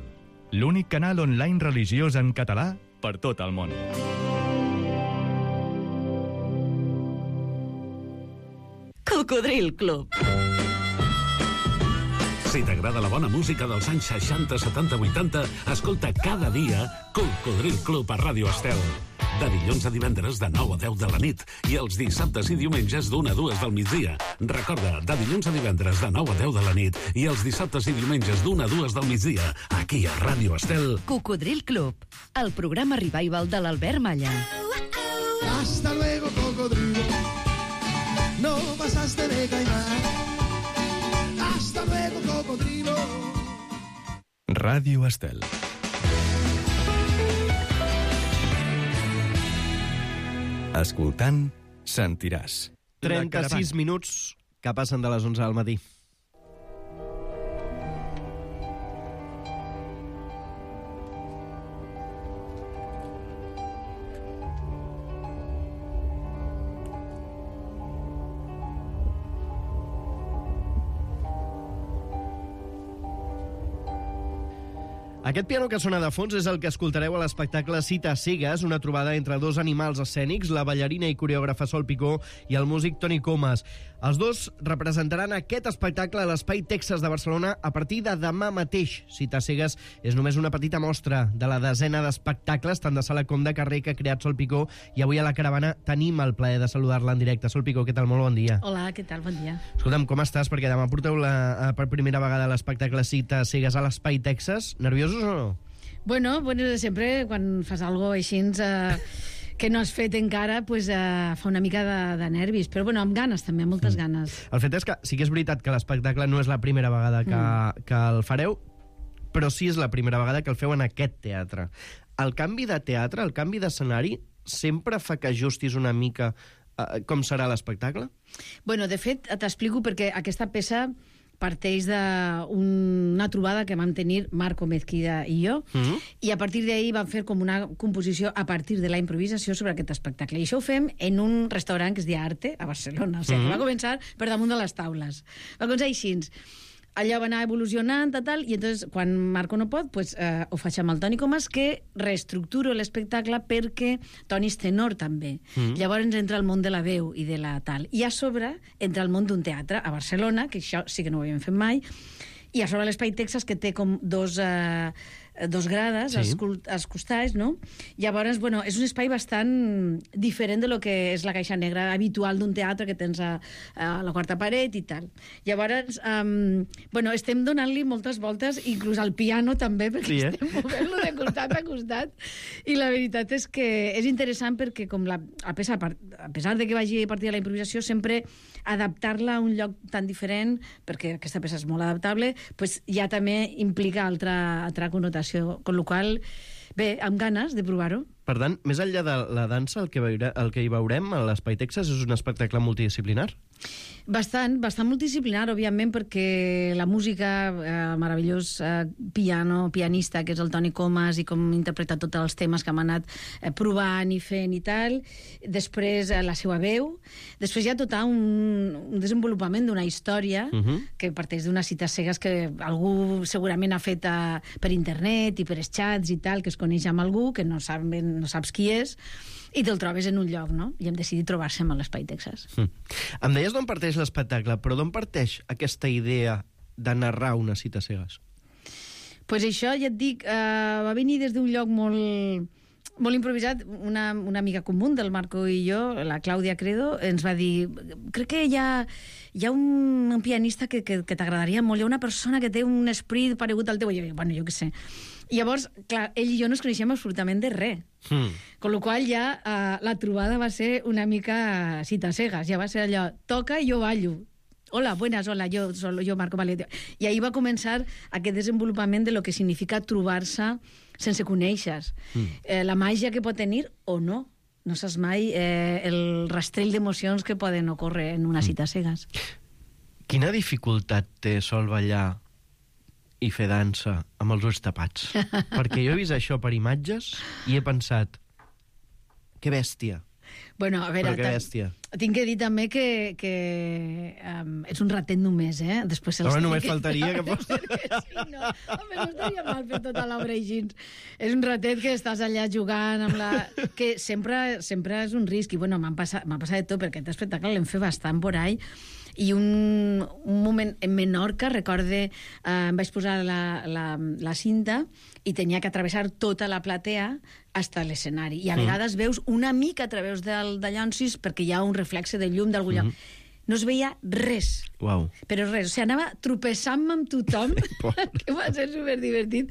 l'únic canal online religiós en català per tot el món. Cocodril Club. Si t'agrada la bona música dels anys 60, 70, 80, escolta cada dia Cocodril Club a Ràdio Estel. De dilluns a divendres de 9 a 10 de la nit i els dissabtes i diumenges d'1 a 2 del migdia. Recorda, de dilluns a divendres de 9 a 10 de la nit i els dissabtes i diumenges d'1 a 2 del migdia, aquí a Ràdio Estel. Cocodril Club, el programa revival de l'Albert Malla. Hasta luego, cocodrilo. No pasaste de caimán. Hasta luego, cocodrilo. Ràdio Estel. Escoltant, sentiràs. 36 minuts que passen de les 11 del matí. Aquest piano que sona de fons és el que escoltareu a l'espectacle Cites cegues, una trobada entre dos animals escènics, la ballarina i coreògrafa Sol Picó i el músic Toni Comas. Els dos representaran aquest espectacle a l'Espai Texas de Barcelona a partir de demà mateix. Cites cegues és només una petita mostra de la desena d'espectacles, tant de sala com de carrer, que ha creat Sol Picó, i avui a la caravana tenim el plaer de saludar-la en directe. Sol Picó, què tal? Molt bon dia. Hola, què tal? Bon dia. Escolta'm, com estàs? Perquè demà porteu per primera vegada l'espectacle Cites cegues a l'Espai Texas. Nerviosos o no? Bueno, sempre quan fas alguna cosa així que no has fet encara, pues, fa una mica de nervis, però bueno, amb ganes també, amb moltes ganes. El fet és que sí que és veritat que l'espectacle no és la primera vegada que el fareu, però sí és la primera vegada que el feu en aquest teatre. El canvi de teatre, el canvi d'escenari, sempre fa que ajustis una mica com serà l'espectacle? Bueno, de fet, t'explico perquè aquesta peça parteix d'una trobada que vam tenir Marco Mezquida i jo, i a partir d'ahir vam fer com una composició a partir de la improvisació sobre aquest espectacle. I això ho fem en un restaurant que es diu Arte, a Barcelona. O sigui, que va començar per damunt de les taules. Va començar així. Allò va anar evolucionant, i entonces, quan Marco no pot, pues, ho faig amb el Toni Comas, que reestructuro l'espectacle perquè Toni és tenor també. Llavors entra al món de la veu i de la tal. I a sobre entra al món d'un teatre a Barcelona, que això sí que no ho havíem fet mai, i a sobre l'Espai Texas, que té com dos grades als costats, no? Llavors, bueno, és un espai bastant diferent de lo que és la caixa negra habitual d'un teatre que tens a la quarta paret i tal. Llavors, bueno, estem donant-li moltes voltes, inclús al piano també, perquè estem movent-lo de costat a costat, i la veritat és que és interessant perquè a pesar de que vagi a partir de la improvisació, sempre adaptar-la a un lloc tan diferent, perquè aquesta peça és molt adaptable, pues ja també implica altra connotació, con lo qual, bé, amb ganes de provar-ho. Per tant, més enllà de la dansa, el que hi veurem a l'Espai Texas és un espectacle multidisciplinar? Bastant multidisciplinar, òbviament, perquè la música, meravellós pianista, que és el Toni Comas, i com interpreta tots els temes que hem anat provant i fent i tal. Després, la seva veu. Després hi ha tot un desenvolupament d'una història que parteix d'unes cites cegues que algú segurament ha fet per internet i per xats i tal, que es coneix amb algú, que no saps qui és, i te'l trobes en un lloc, no? I hem decidit trobar-se-m a l'Espai Texas. Em deies d'on parteix l'espectacle, però d'on parteix aquesta idea de narrar unes cites cegues? Pues això, ja et dic, va venir des d'un lloc molt molt improvisat, una amiga comú del Marco i jo, la Clàudia Credo, ens va dir, crec que hi ha un pianista que t'agradaria molt, hi ha una persona que té un esprit paregut al teu, i jo, bueno, jo què sé. I llavors, clar, ell i jo no ens coneixem absolutament de res. Con lo qual ja la trobada va ser una mica cita cegas, ja va ser allò, toca i jo ballo. Hola, buenas, hola, yo Marco Valente. I ahir va començar aquest desenvolupament de lo que significa trobar-se sense conèixer. La màgia que pot tenir o no. No saps mai el rastrell d'emocions que poden ocórrer en una cita cegas. Quina dificultat té sol ballar i fer dansa amb els ulls tapats? Perquè jo he vist això per imatges i he pensat, que bèstia. Bueno, a veure, però que bèstia. Tinc que dir també que ets un ratet només, eh? Després home, només faltaria que fos... Sí, no. Home, no estaria mal fer tota l'obra així. És un ratet que estàs allà jugant amb la... que sempre és un risc. I, bueno, m'ha passat de tot, perquè aquest espectacle l'hem fet bastant por ahí. I un moment en Menorca, recorde, em vaig posar la cinta i tenia que atravessar tota la platea hasta l'escenari. I a vegades veus una mica a través del llonsis perquè hi ha un reflexe de llum d'algun lloc. No es veia res. Uau. Però res. O sigui, anava tropessant-me amb tothom, que va ser superdivertit,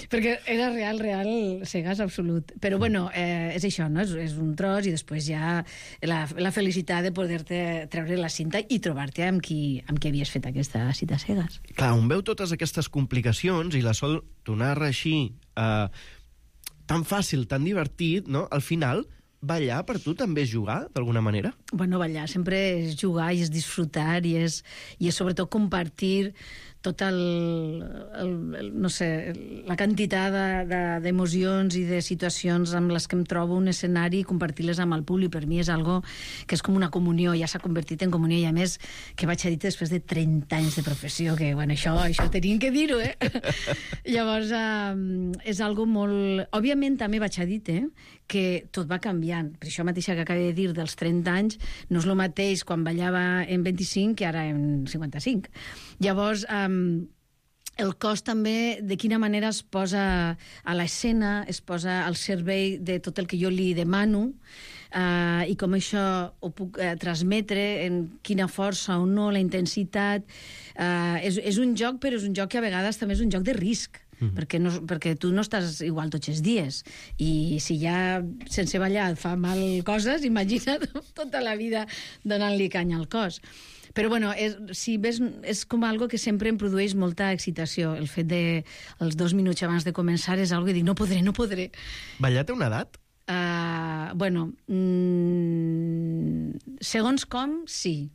perquè era real, cegas absolut. Però, bueno, és això, no? És un tros i després ja la felicitat de poder-te treure la cinta i trobar-te amb qui havies fet aquesta cita cegas. Clar, on veu totes aquestes complicacions i la Sol t'ho narra així, tan fàcil, tan divertit, no? Al final... ballar per tu també és jugar, d'alguna manera? Bueno, ballar sempre és jugar i és disfrutar i és sobretot compartir tot no sé, la quantitat d'emocions i de situacions amb les que em trobo un escenari i compartir-les amb el públic. Per mi és algo que és com una comunió, ja s'ha convertit en comunió, i a més que vaig a dir després de 30 anys de professió, que bueno, això tenim que dir-ho, eh? Llavors, és algo molt... Òbviament també vaig a dir que tot va canviant. Per això mateixa que acabo de dir dels 30 anys, no és el mateix quan ballava en 25 que ara en 55. Llavors, el cos també, de quina manera es posa a l'escena, es posa al servei de tot el que jo li demano, i com això ho puc transmetre, en quina força o no, la intensitat. És un joc, però és un joc que a vegades també és un joc de risc, perquè tu no estàs igual tots els dies, i si ja sense ballar et fa mal coses, imagina't tota la vida donant-li canya al cos. Però bueno, si ves, és com algo que sempre em produeix molta excitació. El fet de els 2 minuts abans de començar és algo que dic, no podré. Ballar té una edat? Bueno, segons com, sí.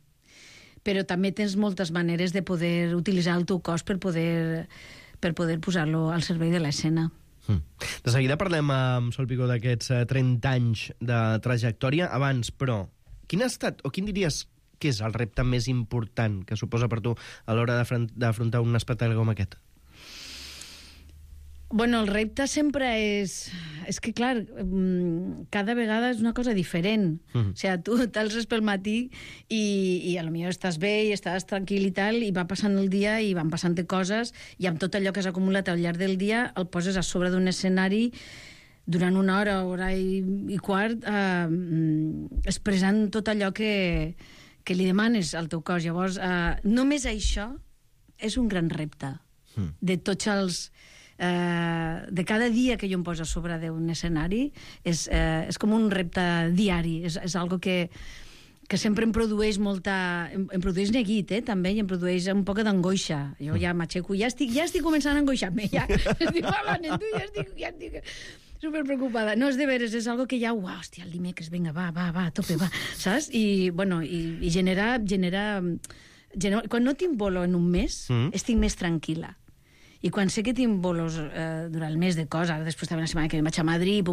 Però també tens moltes maneres de poder utilitzar el teu cos per poder posar-lo al servei de l'escena. De seguida parlem amb Sol Picó d'aquests 30 anys de trajectòria. Abans, però, quin ha estat, o quin diries que és el repte més important que suposa per tu a l'hora d'afrontar un espectacle com aquest? Bueno, el repte sempre és que, clar, cada vegada és una cosa diferent. O sigui, tu t'alces pel matí i potser estàs bé i estàs tranquil i tal, i va passant el dia i van passant coses, i amb tot allò que s'ha acumulat al llarg del dia el poses a sobre d'un escenari durant una hora i quart, expressant tot allò que li demanes al teu cos. Llavors, només això és un gran repte de tots els... de cada dia que jo em poso a sobre d'un escenari és com un repte diari, és algo que sempre em produeix em produeix neguit, també, i em produeix un poc d'angoixa. Jo ja m'aixeco, ja estic començant a angoixar-me, ja estic parlant amb tu, ja estic superpreocupada. No, és de veres, és algo que ja, hòstia, el dimecres, vinga, va, a tope, va, saps? I, bueno, i genera... Quan no tinc bolo en un mes, estic més tranquil·la. I quan sé que tinc bolos durant el mes de coses, després també una setmana que vaig a Madrid,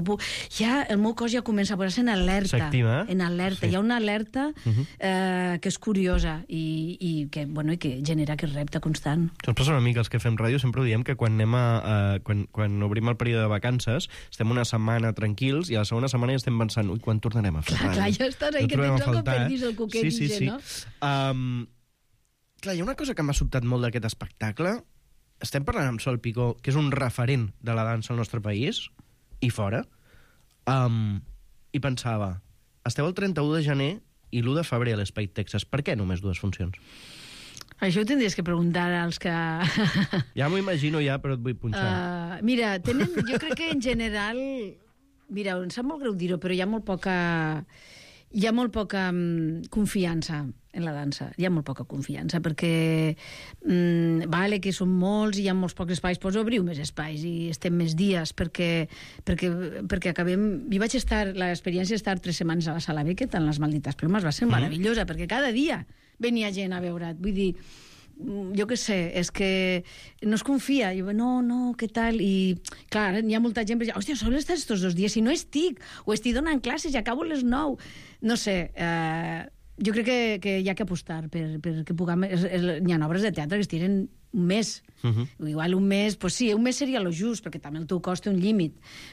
ja el meu cos ja comença a posar-se en alerta. S'activa, en alerta. Sí. Hi ha una alerta que és curiosa i que genera aquest repte constant. Ens passa una mica, els que fem ràdio sempre ho diem, que quan quan obrim el període de vacances estem una setmana tranquils i a la segona setmana ja estem pensant, quan tornarem a fer ràdio? Clar, ja estàs ahí, que tens algo perdís el coquet, sí. no? Clar, hi ha una cosa que m'ha sobtat molt d'aquest espectacle. Estem parlant amb Sol Picó, que és un referent de la dansa al nostre país i fora. I pensava, esteu el 31 de gener i l'1 de febrer a l'Espai Texas. Per què només 2 funcions? Això ho tindries que preguntar als que... Ja m'ho imagino ja, però et vull punxar. Mira, jo crec que en general... Mira, em sap molt greu dir-ho, però hi ha molt poca confiança en la dansa. Hi ha molt poca confiança, perquè vale que són molts i hi ha molts pocs espais, doncs obriu més espais i estem més dies, perquè acabem... Jo vaig estar, l'experiència d'estar 3 setmanes a la Sala Beckett, en les Maldites Plomes, va ser meravellosa, perquè cada dia venia gent a veure't. Vull dir, jo què sé, és que no es confia. Jo, no, què tal? I, clar, hi ha molta gent que diu, hòstia, sols estàs estos 2 dies, si no estic, o estic donant classes i acabo a les 9. No sé, jo crec que hi ha que apostar perquè puguem... Hi ha obres de teatre que es tiren un mes. Igual un mes, pues sí, un mes seria lo just, perquè també el teu cost té un límit.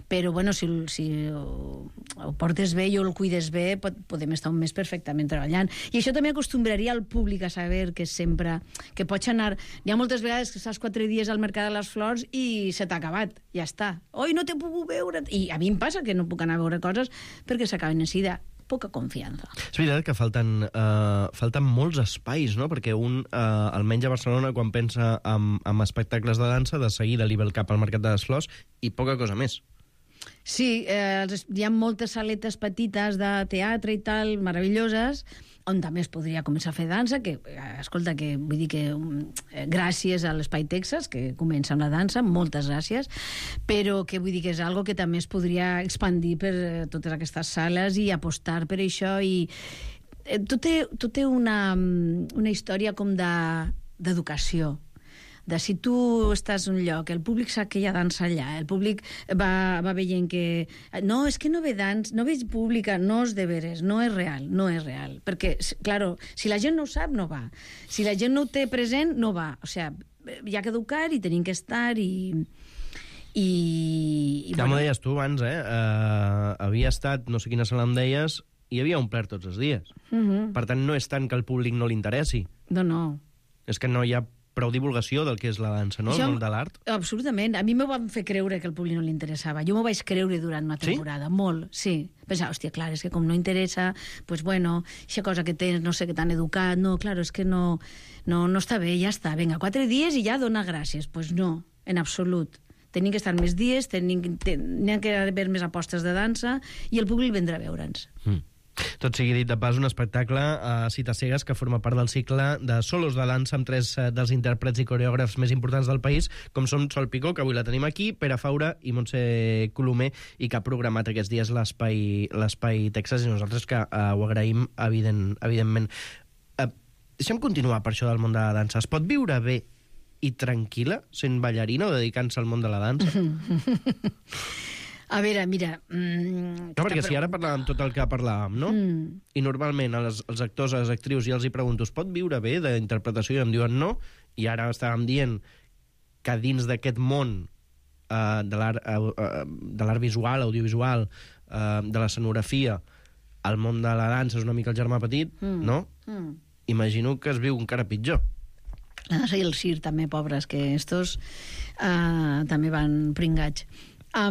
Però, bueno, si ho portes bé i el cuides bé, podem estar un mes perfectament treballant. I això també acostumbraria al públic a saber que sempre... que pots anar... Hi ha moltes vegades que estàs 4 dies al Mercat de les Flors i se t'ha acabat. Ja està. Oi, no t'he pogut veure... I a mi em passa que no puc anar a veure coses perquè s'acaben en sida. Poca confiança. És veritat que falten molts espais, no? Perquè almenys a Barcelona, quan pensa en espectacles de dansa, de seguida li ve el cap al Mercat de les Flors i poca cosa més. Sí, hi ha moltes saletes petites de teatre i tal, meravelloses, on també es podria començar a fer dansa, que, escolta, que vull dir que gràcies a l'Espai Texas, que comença amb la dansa, moltes gràcies, però que vull dir que és algo que també es podria expandir per totes aquestes sales i apostar per això, i tot té una història com d'educació, de si tu estàs en un lloc, el públic sap que hi ha dansa allà, el públic va veient que... No, és que no ve no veig pública, no és de veres, no és real. Perquè, claro, si la gent no ho sap, no va. Si la gent no ho té present, no va. O sigui, hi ha que educar i tenim que estar i ja m'ho deies tu abans, havia estat, no sé quina sala em deies, i havia omplert tots els dies. Per tant, no és tant que al públic no li interessi. No. És que no hi ha prou divulgació del que és la dansa, no? El món de l'art. Absolutament. A mi m'ho van fer creure que al públic no li interessava. Jo m'ho vaig creure durant una temporada. Sí? Molt, sí. Pensava, hòstia, clar, és que com no interessa, pues bueno, aquesta cosa que tens, no sé, que t'han educat, no, clar, és que no està bé, ja està. Vinga, 4 dies i ja dona gràcies. Pues no, en absolut. Tenim que estar més dies, n'hi ha que haver més apostes de dansa i el públic vindrà a veure'ns. Tot sigui dit de pas, un espectacle a Cites Cegues que forma part del cicle de solos de dansa amb 3 dels intèrprets i coreògrafs més importants del país, com són Sol Picó, que avui la tenim aquí, Pere Faura i Montse Colomer, i que ha programat aquests dies l'Espai Texas, i nosaltres que ho agraïm, evidentment. Deixem continuar per això del món de la dansa. Es pot viure bé i tranquil·la sent ballarina o dedicant-se al món de la dansa? A veure, mira... No, perquè si ara parlàvem tot el que parlàvem, no? I normalment als actors, a les actrius, ja els hi pregunto, es pot viure bé d'interpretació? I em diuen no, i ara estàvem dient que dins d'aquest món de l'art visual, audiovisual, de l'escenografia, el món de la dansa és una mica el germà petit, no? Imagino que es viu encara pitjor. La dansa i el circ també, pobres, que estos també van pringats. A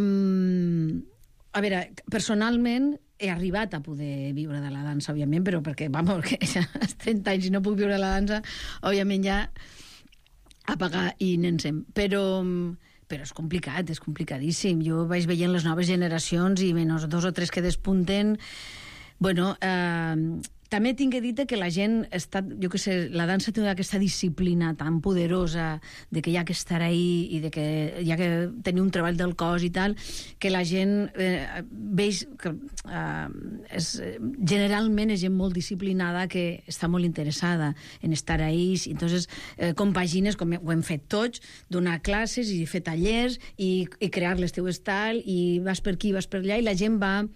veure, personalment he arribat a poder viure de la dansa, òbviament, però perquè, vamos, que ja als 30 anys i no puc viure de la dansa, òbviament ja apagar i n'encem. Però és complicat, és complicadíssim. Jo vaig veient les noves generacions i menys 2 o 3 que despunten. Bueno, també tinc que dir que la gent està, jo què sé, la dansa té aquesta disciplina tan poderosa de que hi ha que estar ahí i de que hi ha que tenir un treball del cos i tal, que la gent veig que generalment és gent molt disciplinada que està molt interessada en estar ahí, entonces compagines, com ho hem fet tots, donar classes i fer tallers i crear les teu estil i vas per aquí, vas per allà, i la gent va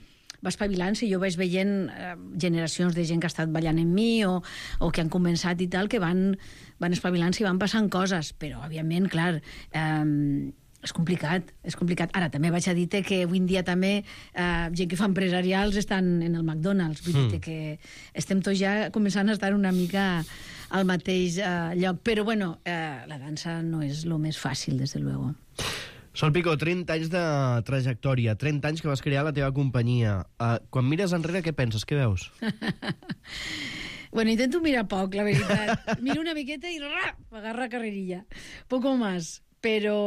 espavilant-se. Jo vaig veient generacions de gent que ha estat ballant amb mi o que han començat i tal, que van espavilant-se i van passant coses, però, òbviament, clar, és complicat. Ara, també vaig a dir que avui en dia també gent que fa empresarials estan en el McDonald's, vull dir que estem tots ja començant a estar una mica al mateix lloc, però, bueno, la dansa no és el més fàcil, des de luego. Sol Picó, 30 anys de trajectòria, 30 anys que vas crear la teva companyia. Quan mires enrere, què penses? Què veus? Bueno, intento mirar poc, la veritat. Miro una miqueta i agarra carrerilla. Poco más. Però...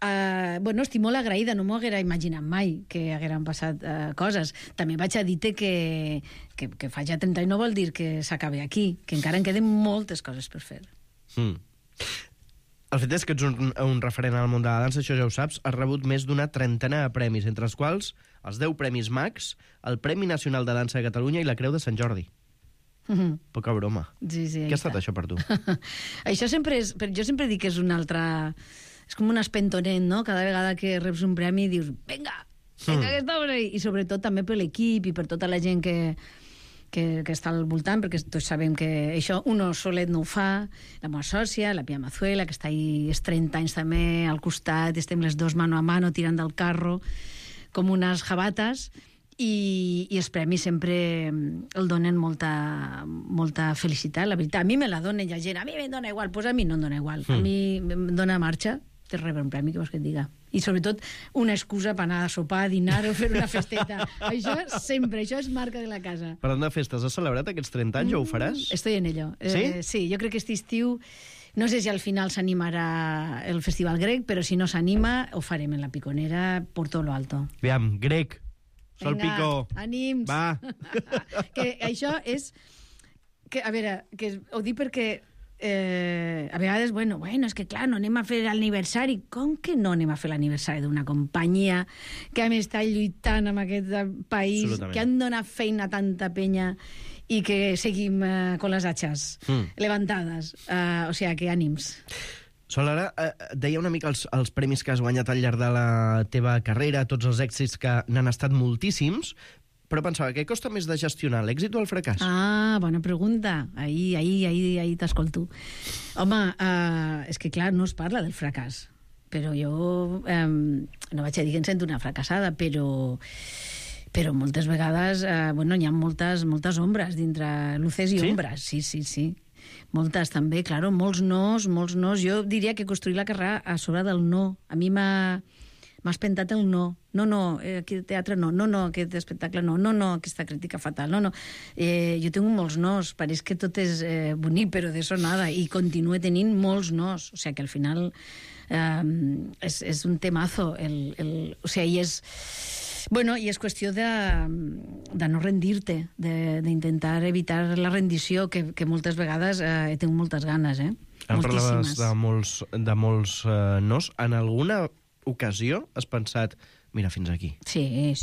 bueno, estic molt agraïda, no m'ho haguera imaginat mai que hagueren passat coses. També vaig a dir-te que faig ja 30 anys no vol dir que s'acabi aquí, que encara en queden moltes coses per fer. El fet és que ets un referent al món de la dansa, això ja ho saps, has rebut més d'una trentena de premis, entre els quals els 10 Premis Max, el Premi Nacional de Dansa de Catalunya i la Creu de Sant Jordi. Poca broma. Sí, Què ha estat això per tu? Això sempre és... Jo sempre dic que és una altra... És com un espentonet, no? Cada vegada que reps un premi dius, vinga, que estamos ahí. I sobretot també per l'equip i per tota la gent que està al voltant, perquè tots sabem que això uno solet no ho fa, la meva sòcia, la Pia Mazuela, que està ahí 30 anys també al costat, estem les dos mano a mano tirant del carro com unes jabates, i els premis sempre el donen molta felicitat, la veritat. A mi me la donen, hi ha gent, a mi me dona igual, doncs a mi no em dona igual. A mi em dona marxa de rebre un premi, què vols que et diga? I sobretot una excusa per anar a sopar, a dinar o fer una festeta. Això sempre, això és marca de la casa. Parlant de festes, has celebrat aquests 30 anys o ho faràs? Estoy en ello. Sí? Sí, jo crec que aquest estiu, no sé si al final s'animarà el Festival Grec, però si no s'anima, ho farem en la Piconera por todo lo alto. Aviam, Grec, Sol Picó. Ànims. Va. Que això és... Que, a veure, que ho dic perquè... a vegades, bueno, és que clar, no anem a fer l'aniversari. Com que no anem a fer l'aniversari d'una companyia que hem estat lluitant en aquest país, que han donat feina a tanta penya i que seguim con les atxes levantades? O sigui, que ànims. Sol, ara deia una mica els premis que has guanyat al llarg de la teva carrera, tots els èxits que n'han estat moltíssims, però pensava, què costa més de gestionar, l'èxit o el fracàs? Bona pregunta. Ahí t'escolto. Home, és que clar, no es parla del fracàs, però jo no vaig a dir que em sento una fracassada, però moltes vegades hi ha moltes ombres dintre, luces i ombres, sí. Moltes també, claro, molts nos. Jo diria que construir la carrera a sobre del no. A mi m'ha espentat el no. No, aquest teatre no, aquest espectacle no, aquesta crítica fatal, no. Jo tinc molts nos, pareix que tot és bonic, però d'això nada, i continuo tenint molts nos, o sigui que al final és un temazo, o sigui, i és... Bueno, i és qüestió de no rendir-te, d'intentar evitar la rendició, que moltes vegades he tingut moltes ganes, Parlaves de molts nos. En alguna ocasió has pensat, mira, fins aquí? Sí.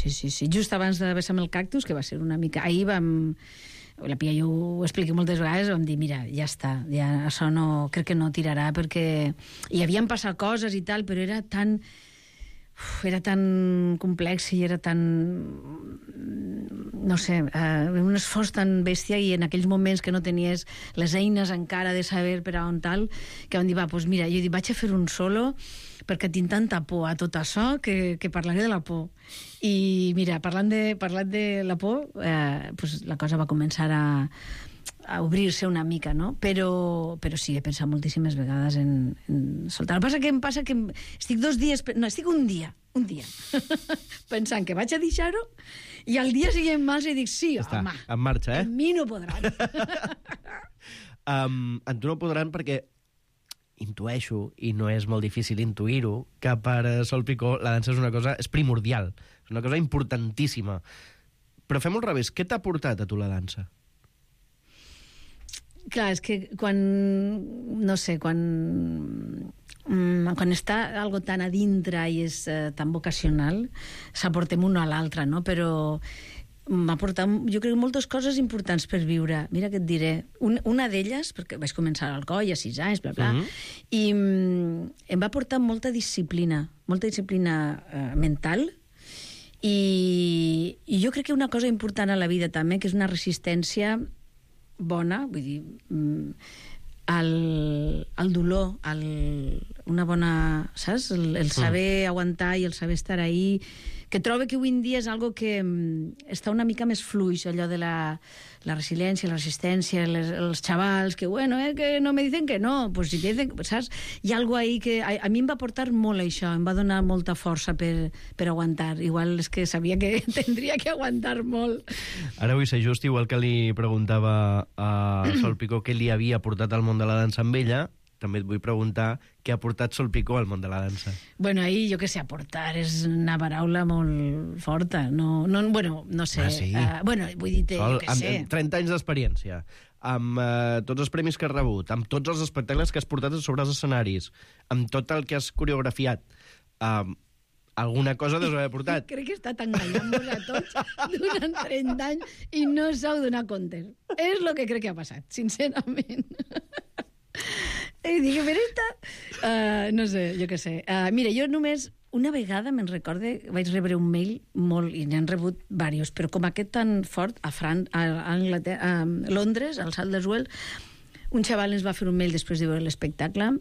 Just abans de Besa'm el cactus, que va ser una mica... Ahir la Pia i jo ho expliqué moltes vegades, vam dir, mira, ja està, ja això no, crec que no tirarà, perquè hi havien passat coses i tal, però era tan complex i era tan... no sé, un esforç tan bèstia, i en aquells moments que no tenies les eines encara de saber per a on tal, que vam dir, doncs mira, jo vaig a fer un solo perquè tinc tanta por a tot això que parlaré de la por. I mira, parlant de la por, la cosa va començar a obrir-se una mica, no? Però sí, he pensat moltíssimes vegades en soltar. El que passa que estic 2 dies... No, estic un dia, pensant que vaig a deixar-ho, i al dia següent más i dic, sí, home, en marxa, a mi no podran. En tu no podran perquè intueixo, i no és molt difícil intuir-ho, que per Sol Picó la dansa és primordial, és una cosa importantíssima. Però fem-ho al revés, què t'ha portat a tu la dansa? Clar, és que quan està algo tan a dintre i és tan vocacional, s'aportem un a l'altre, no? Però m'ha portat, jo crec, moltes coses importants per viure. Mira què et diré. Una d'elles, perquè vaig començar al coll a 6 anys, bla, bla, i em va portar molta disciplina mental, i jo crec que una cosa important a la vida també, que és una resistència bona, vull dir, al dolor, una bona, saps? El saber aguantar i el saber estar ahí, que trobo que avui en dia és algo que està una mica més fluix, allò de la resiliència, la resistència, els xavals, que bueno, que no me dicen que no, pues si te dicen, saps? Hi ha algo ahí que a mi em va portar molt això, em va donar molta força per aguantar. Igual és que sabia que tindria que aguantar molt. Ara vull ser just, igual que li preguntava a Sol Picó què li havia portat al món de la dansa amb ella, també et vull preguntar què ha portat Sol Picó al món de la dansa. Bueno, ahí, jo què sé, aportar és una paraula molt forta. No sé. Ah, sí? Bueno, vull dir, jo què sé. Amb 30 anys d'experiència, amb tots els premis que has rebut, amb tots els espectacles que has portat sobre els escenaris, amb tot el que has coreografiat, alguna cosa deus haver portat. Crec que he estat enganyant-vos a tots durant 30 anys i no s'heu donat compte. És el que crec que ha passat, sincerament. I dic, però esta... no sé, jo què sé. Mira, jo només una vegada me'n recorde, vaig rebre un mail molt, i n'han rebut diversos, però com aquest tan fort, a Londres, al Salt d'Eswell, un xaval ens va fer un mail després de veure l'espectacle,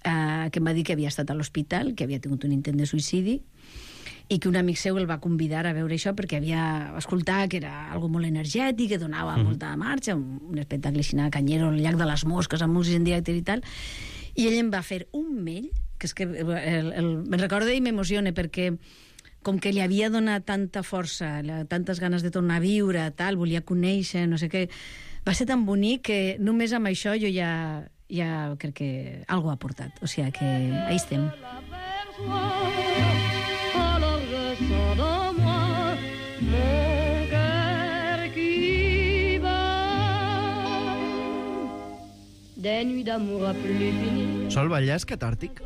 que em va dir que havia estat a l'hospital, que havia tingut un intent de suïcidi, i que un amic seu el va convidar a veure això perquè havia escoltat que era algo molt energètic, que donava molta marxa, un espectacle així, canyero, el llac de les mosques, amb músics en directe i tal, i ell em va fer un mail, que és que me'n recordo i m'emociona, perquè com que li havia donat tanta força, tantes ganes de tornar a viure, tal, volia conèixer, no sé què, va ser tan bonic que només amb això jo ja crec que algo ha portat, o sigui que ahí estem. Sol, ballar és catàrtic?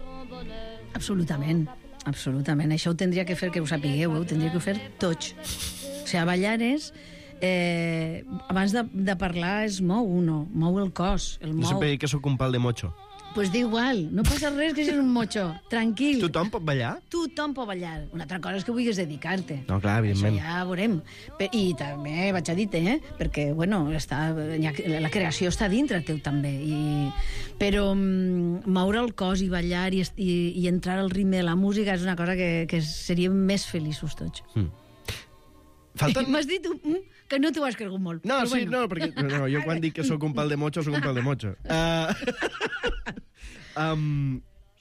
Absolutament, absolutament. Això ho tindria que fer, que ho sapigueu, ho tindria que fer tots. O sigui, ballar és... abans de parlar es mou uno, mou el cos, el mou. Jo sempre dic que sóc un pal de mocho. Pues da igual, no passa res que siguis un mocho, tranquil. Tothom pot ballar? Tothom pot ballar. Una altra cosa és que vulguis dedicar-te. No, clar, evidentment. Això ja veurem. I també vaig a dir-te, perquè, bueno, la creació està dintre teu també. Però moure el cos i ballar i entrar al ritme de la música és una cosa que seríem més feliços tots. M'has dit que no t'ho has cregut molt. No, sí, bueno. No, perquè jo quan dic que sóc un pal de mocho, sóc un pal de mocho.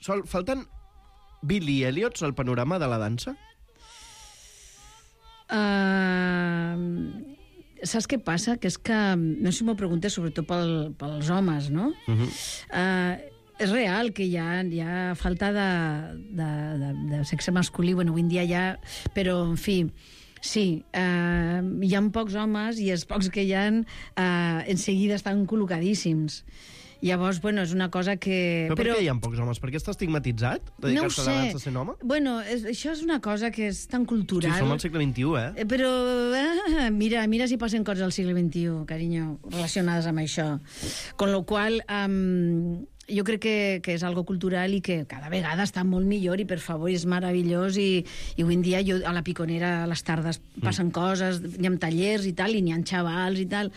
Sol, falten Billy Elliots al panorama de la dansa? Saps què passa? Que és que, no sé si m'ho preguntes, sobretot pels homes, no? És real que hi ha falta de sexe masculí, bueno, avui en dia ja... Però, en fi... Sí, hi ha pocs homes i els pocs que hi ha en seguida estan col·locadíssims. Llavors, bueno, és una cosa que... Però per què hi ha pocs homes? Per què està estigmatitzat dedicar-se a la dansa sent home? Bueno, això és una cosa que és tan cultural. Sí, som al segle XXI, Però mira si passen coses al segle XXI, carinyo, relacionades amb això. Con lo qual... jo crec que és algo cultural i que cada vegada està molt millor i, per favor, és meravellós i avui en dia jo a la Piconera a les tardes passen coses, hi ha tallers i tal, i n'hi ha xavals i tal,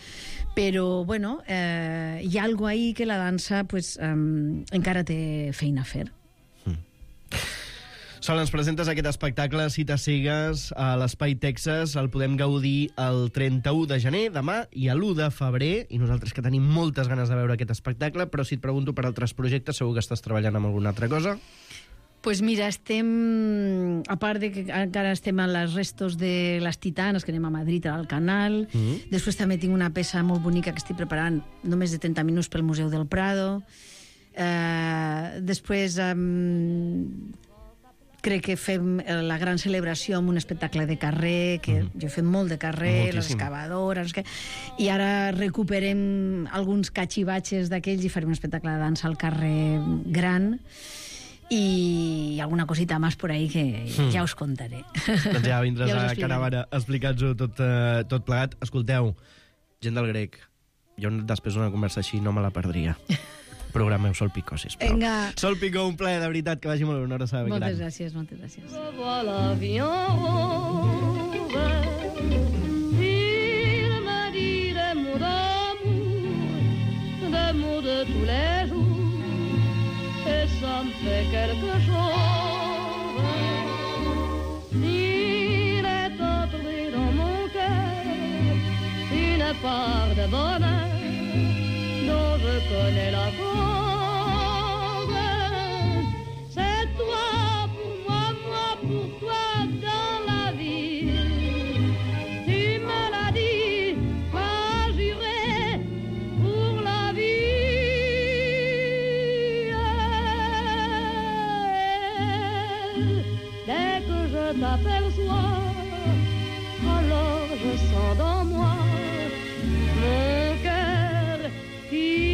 però, bueno, hi ha algo ahí que la dansa pues, encara té feina a fer. Sol, ens presentes aquest espectacle, Cites cegues, a l'Espai Texas. El podem gaudir el 31 de gener, demà, i l'1 de febrer. I nosaltres que tenim moltes ganes de veure aquest espectacle, però si et pregunto per altres projectes, segur que estàs treballant amb alguna altra cosa? Pues mira, estem... A part de que encara estem a les restos de les Titanes, que anem a Madrid, al Canal. Després també tinc una peça molt bonica que estic preparant, només de 30 minuts pel Museu del Prado. Després... crec que fem la gran celebració amb un espectacle de carrer, que jo he fet molt de carrer, les excavadores... I ara recuperem alguns cachivatges d'aquells i farem un espectacle de dansa al carrer gran i alguna cosita més por ahí que ja us contaré. Doncs ja vindràs a Caravana a explicar-nos tot plegat. Escolteu, gent del Grec, jo després d'una conversa així no me la perdria. Programeu Sol Picó, sisplau. Vinga. Sol Picó, un plaer, de veritat, que vagi molt bé, una abraçada ben gran. Moltes gràcies, moltes gràcies. Il m'a dit des mots d'amour de tous les jours, et ça me fait quelque je t'aperçois, alors je sens dans moi mon cœur qui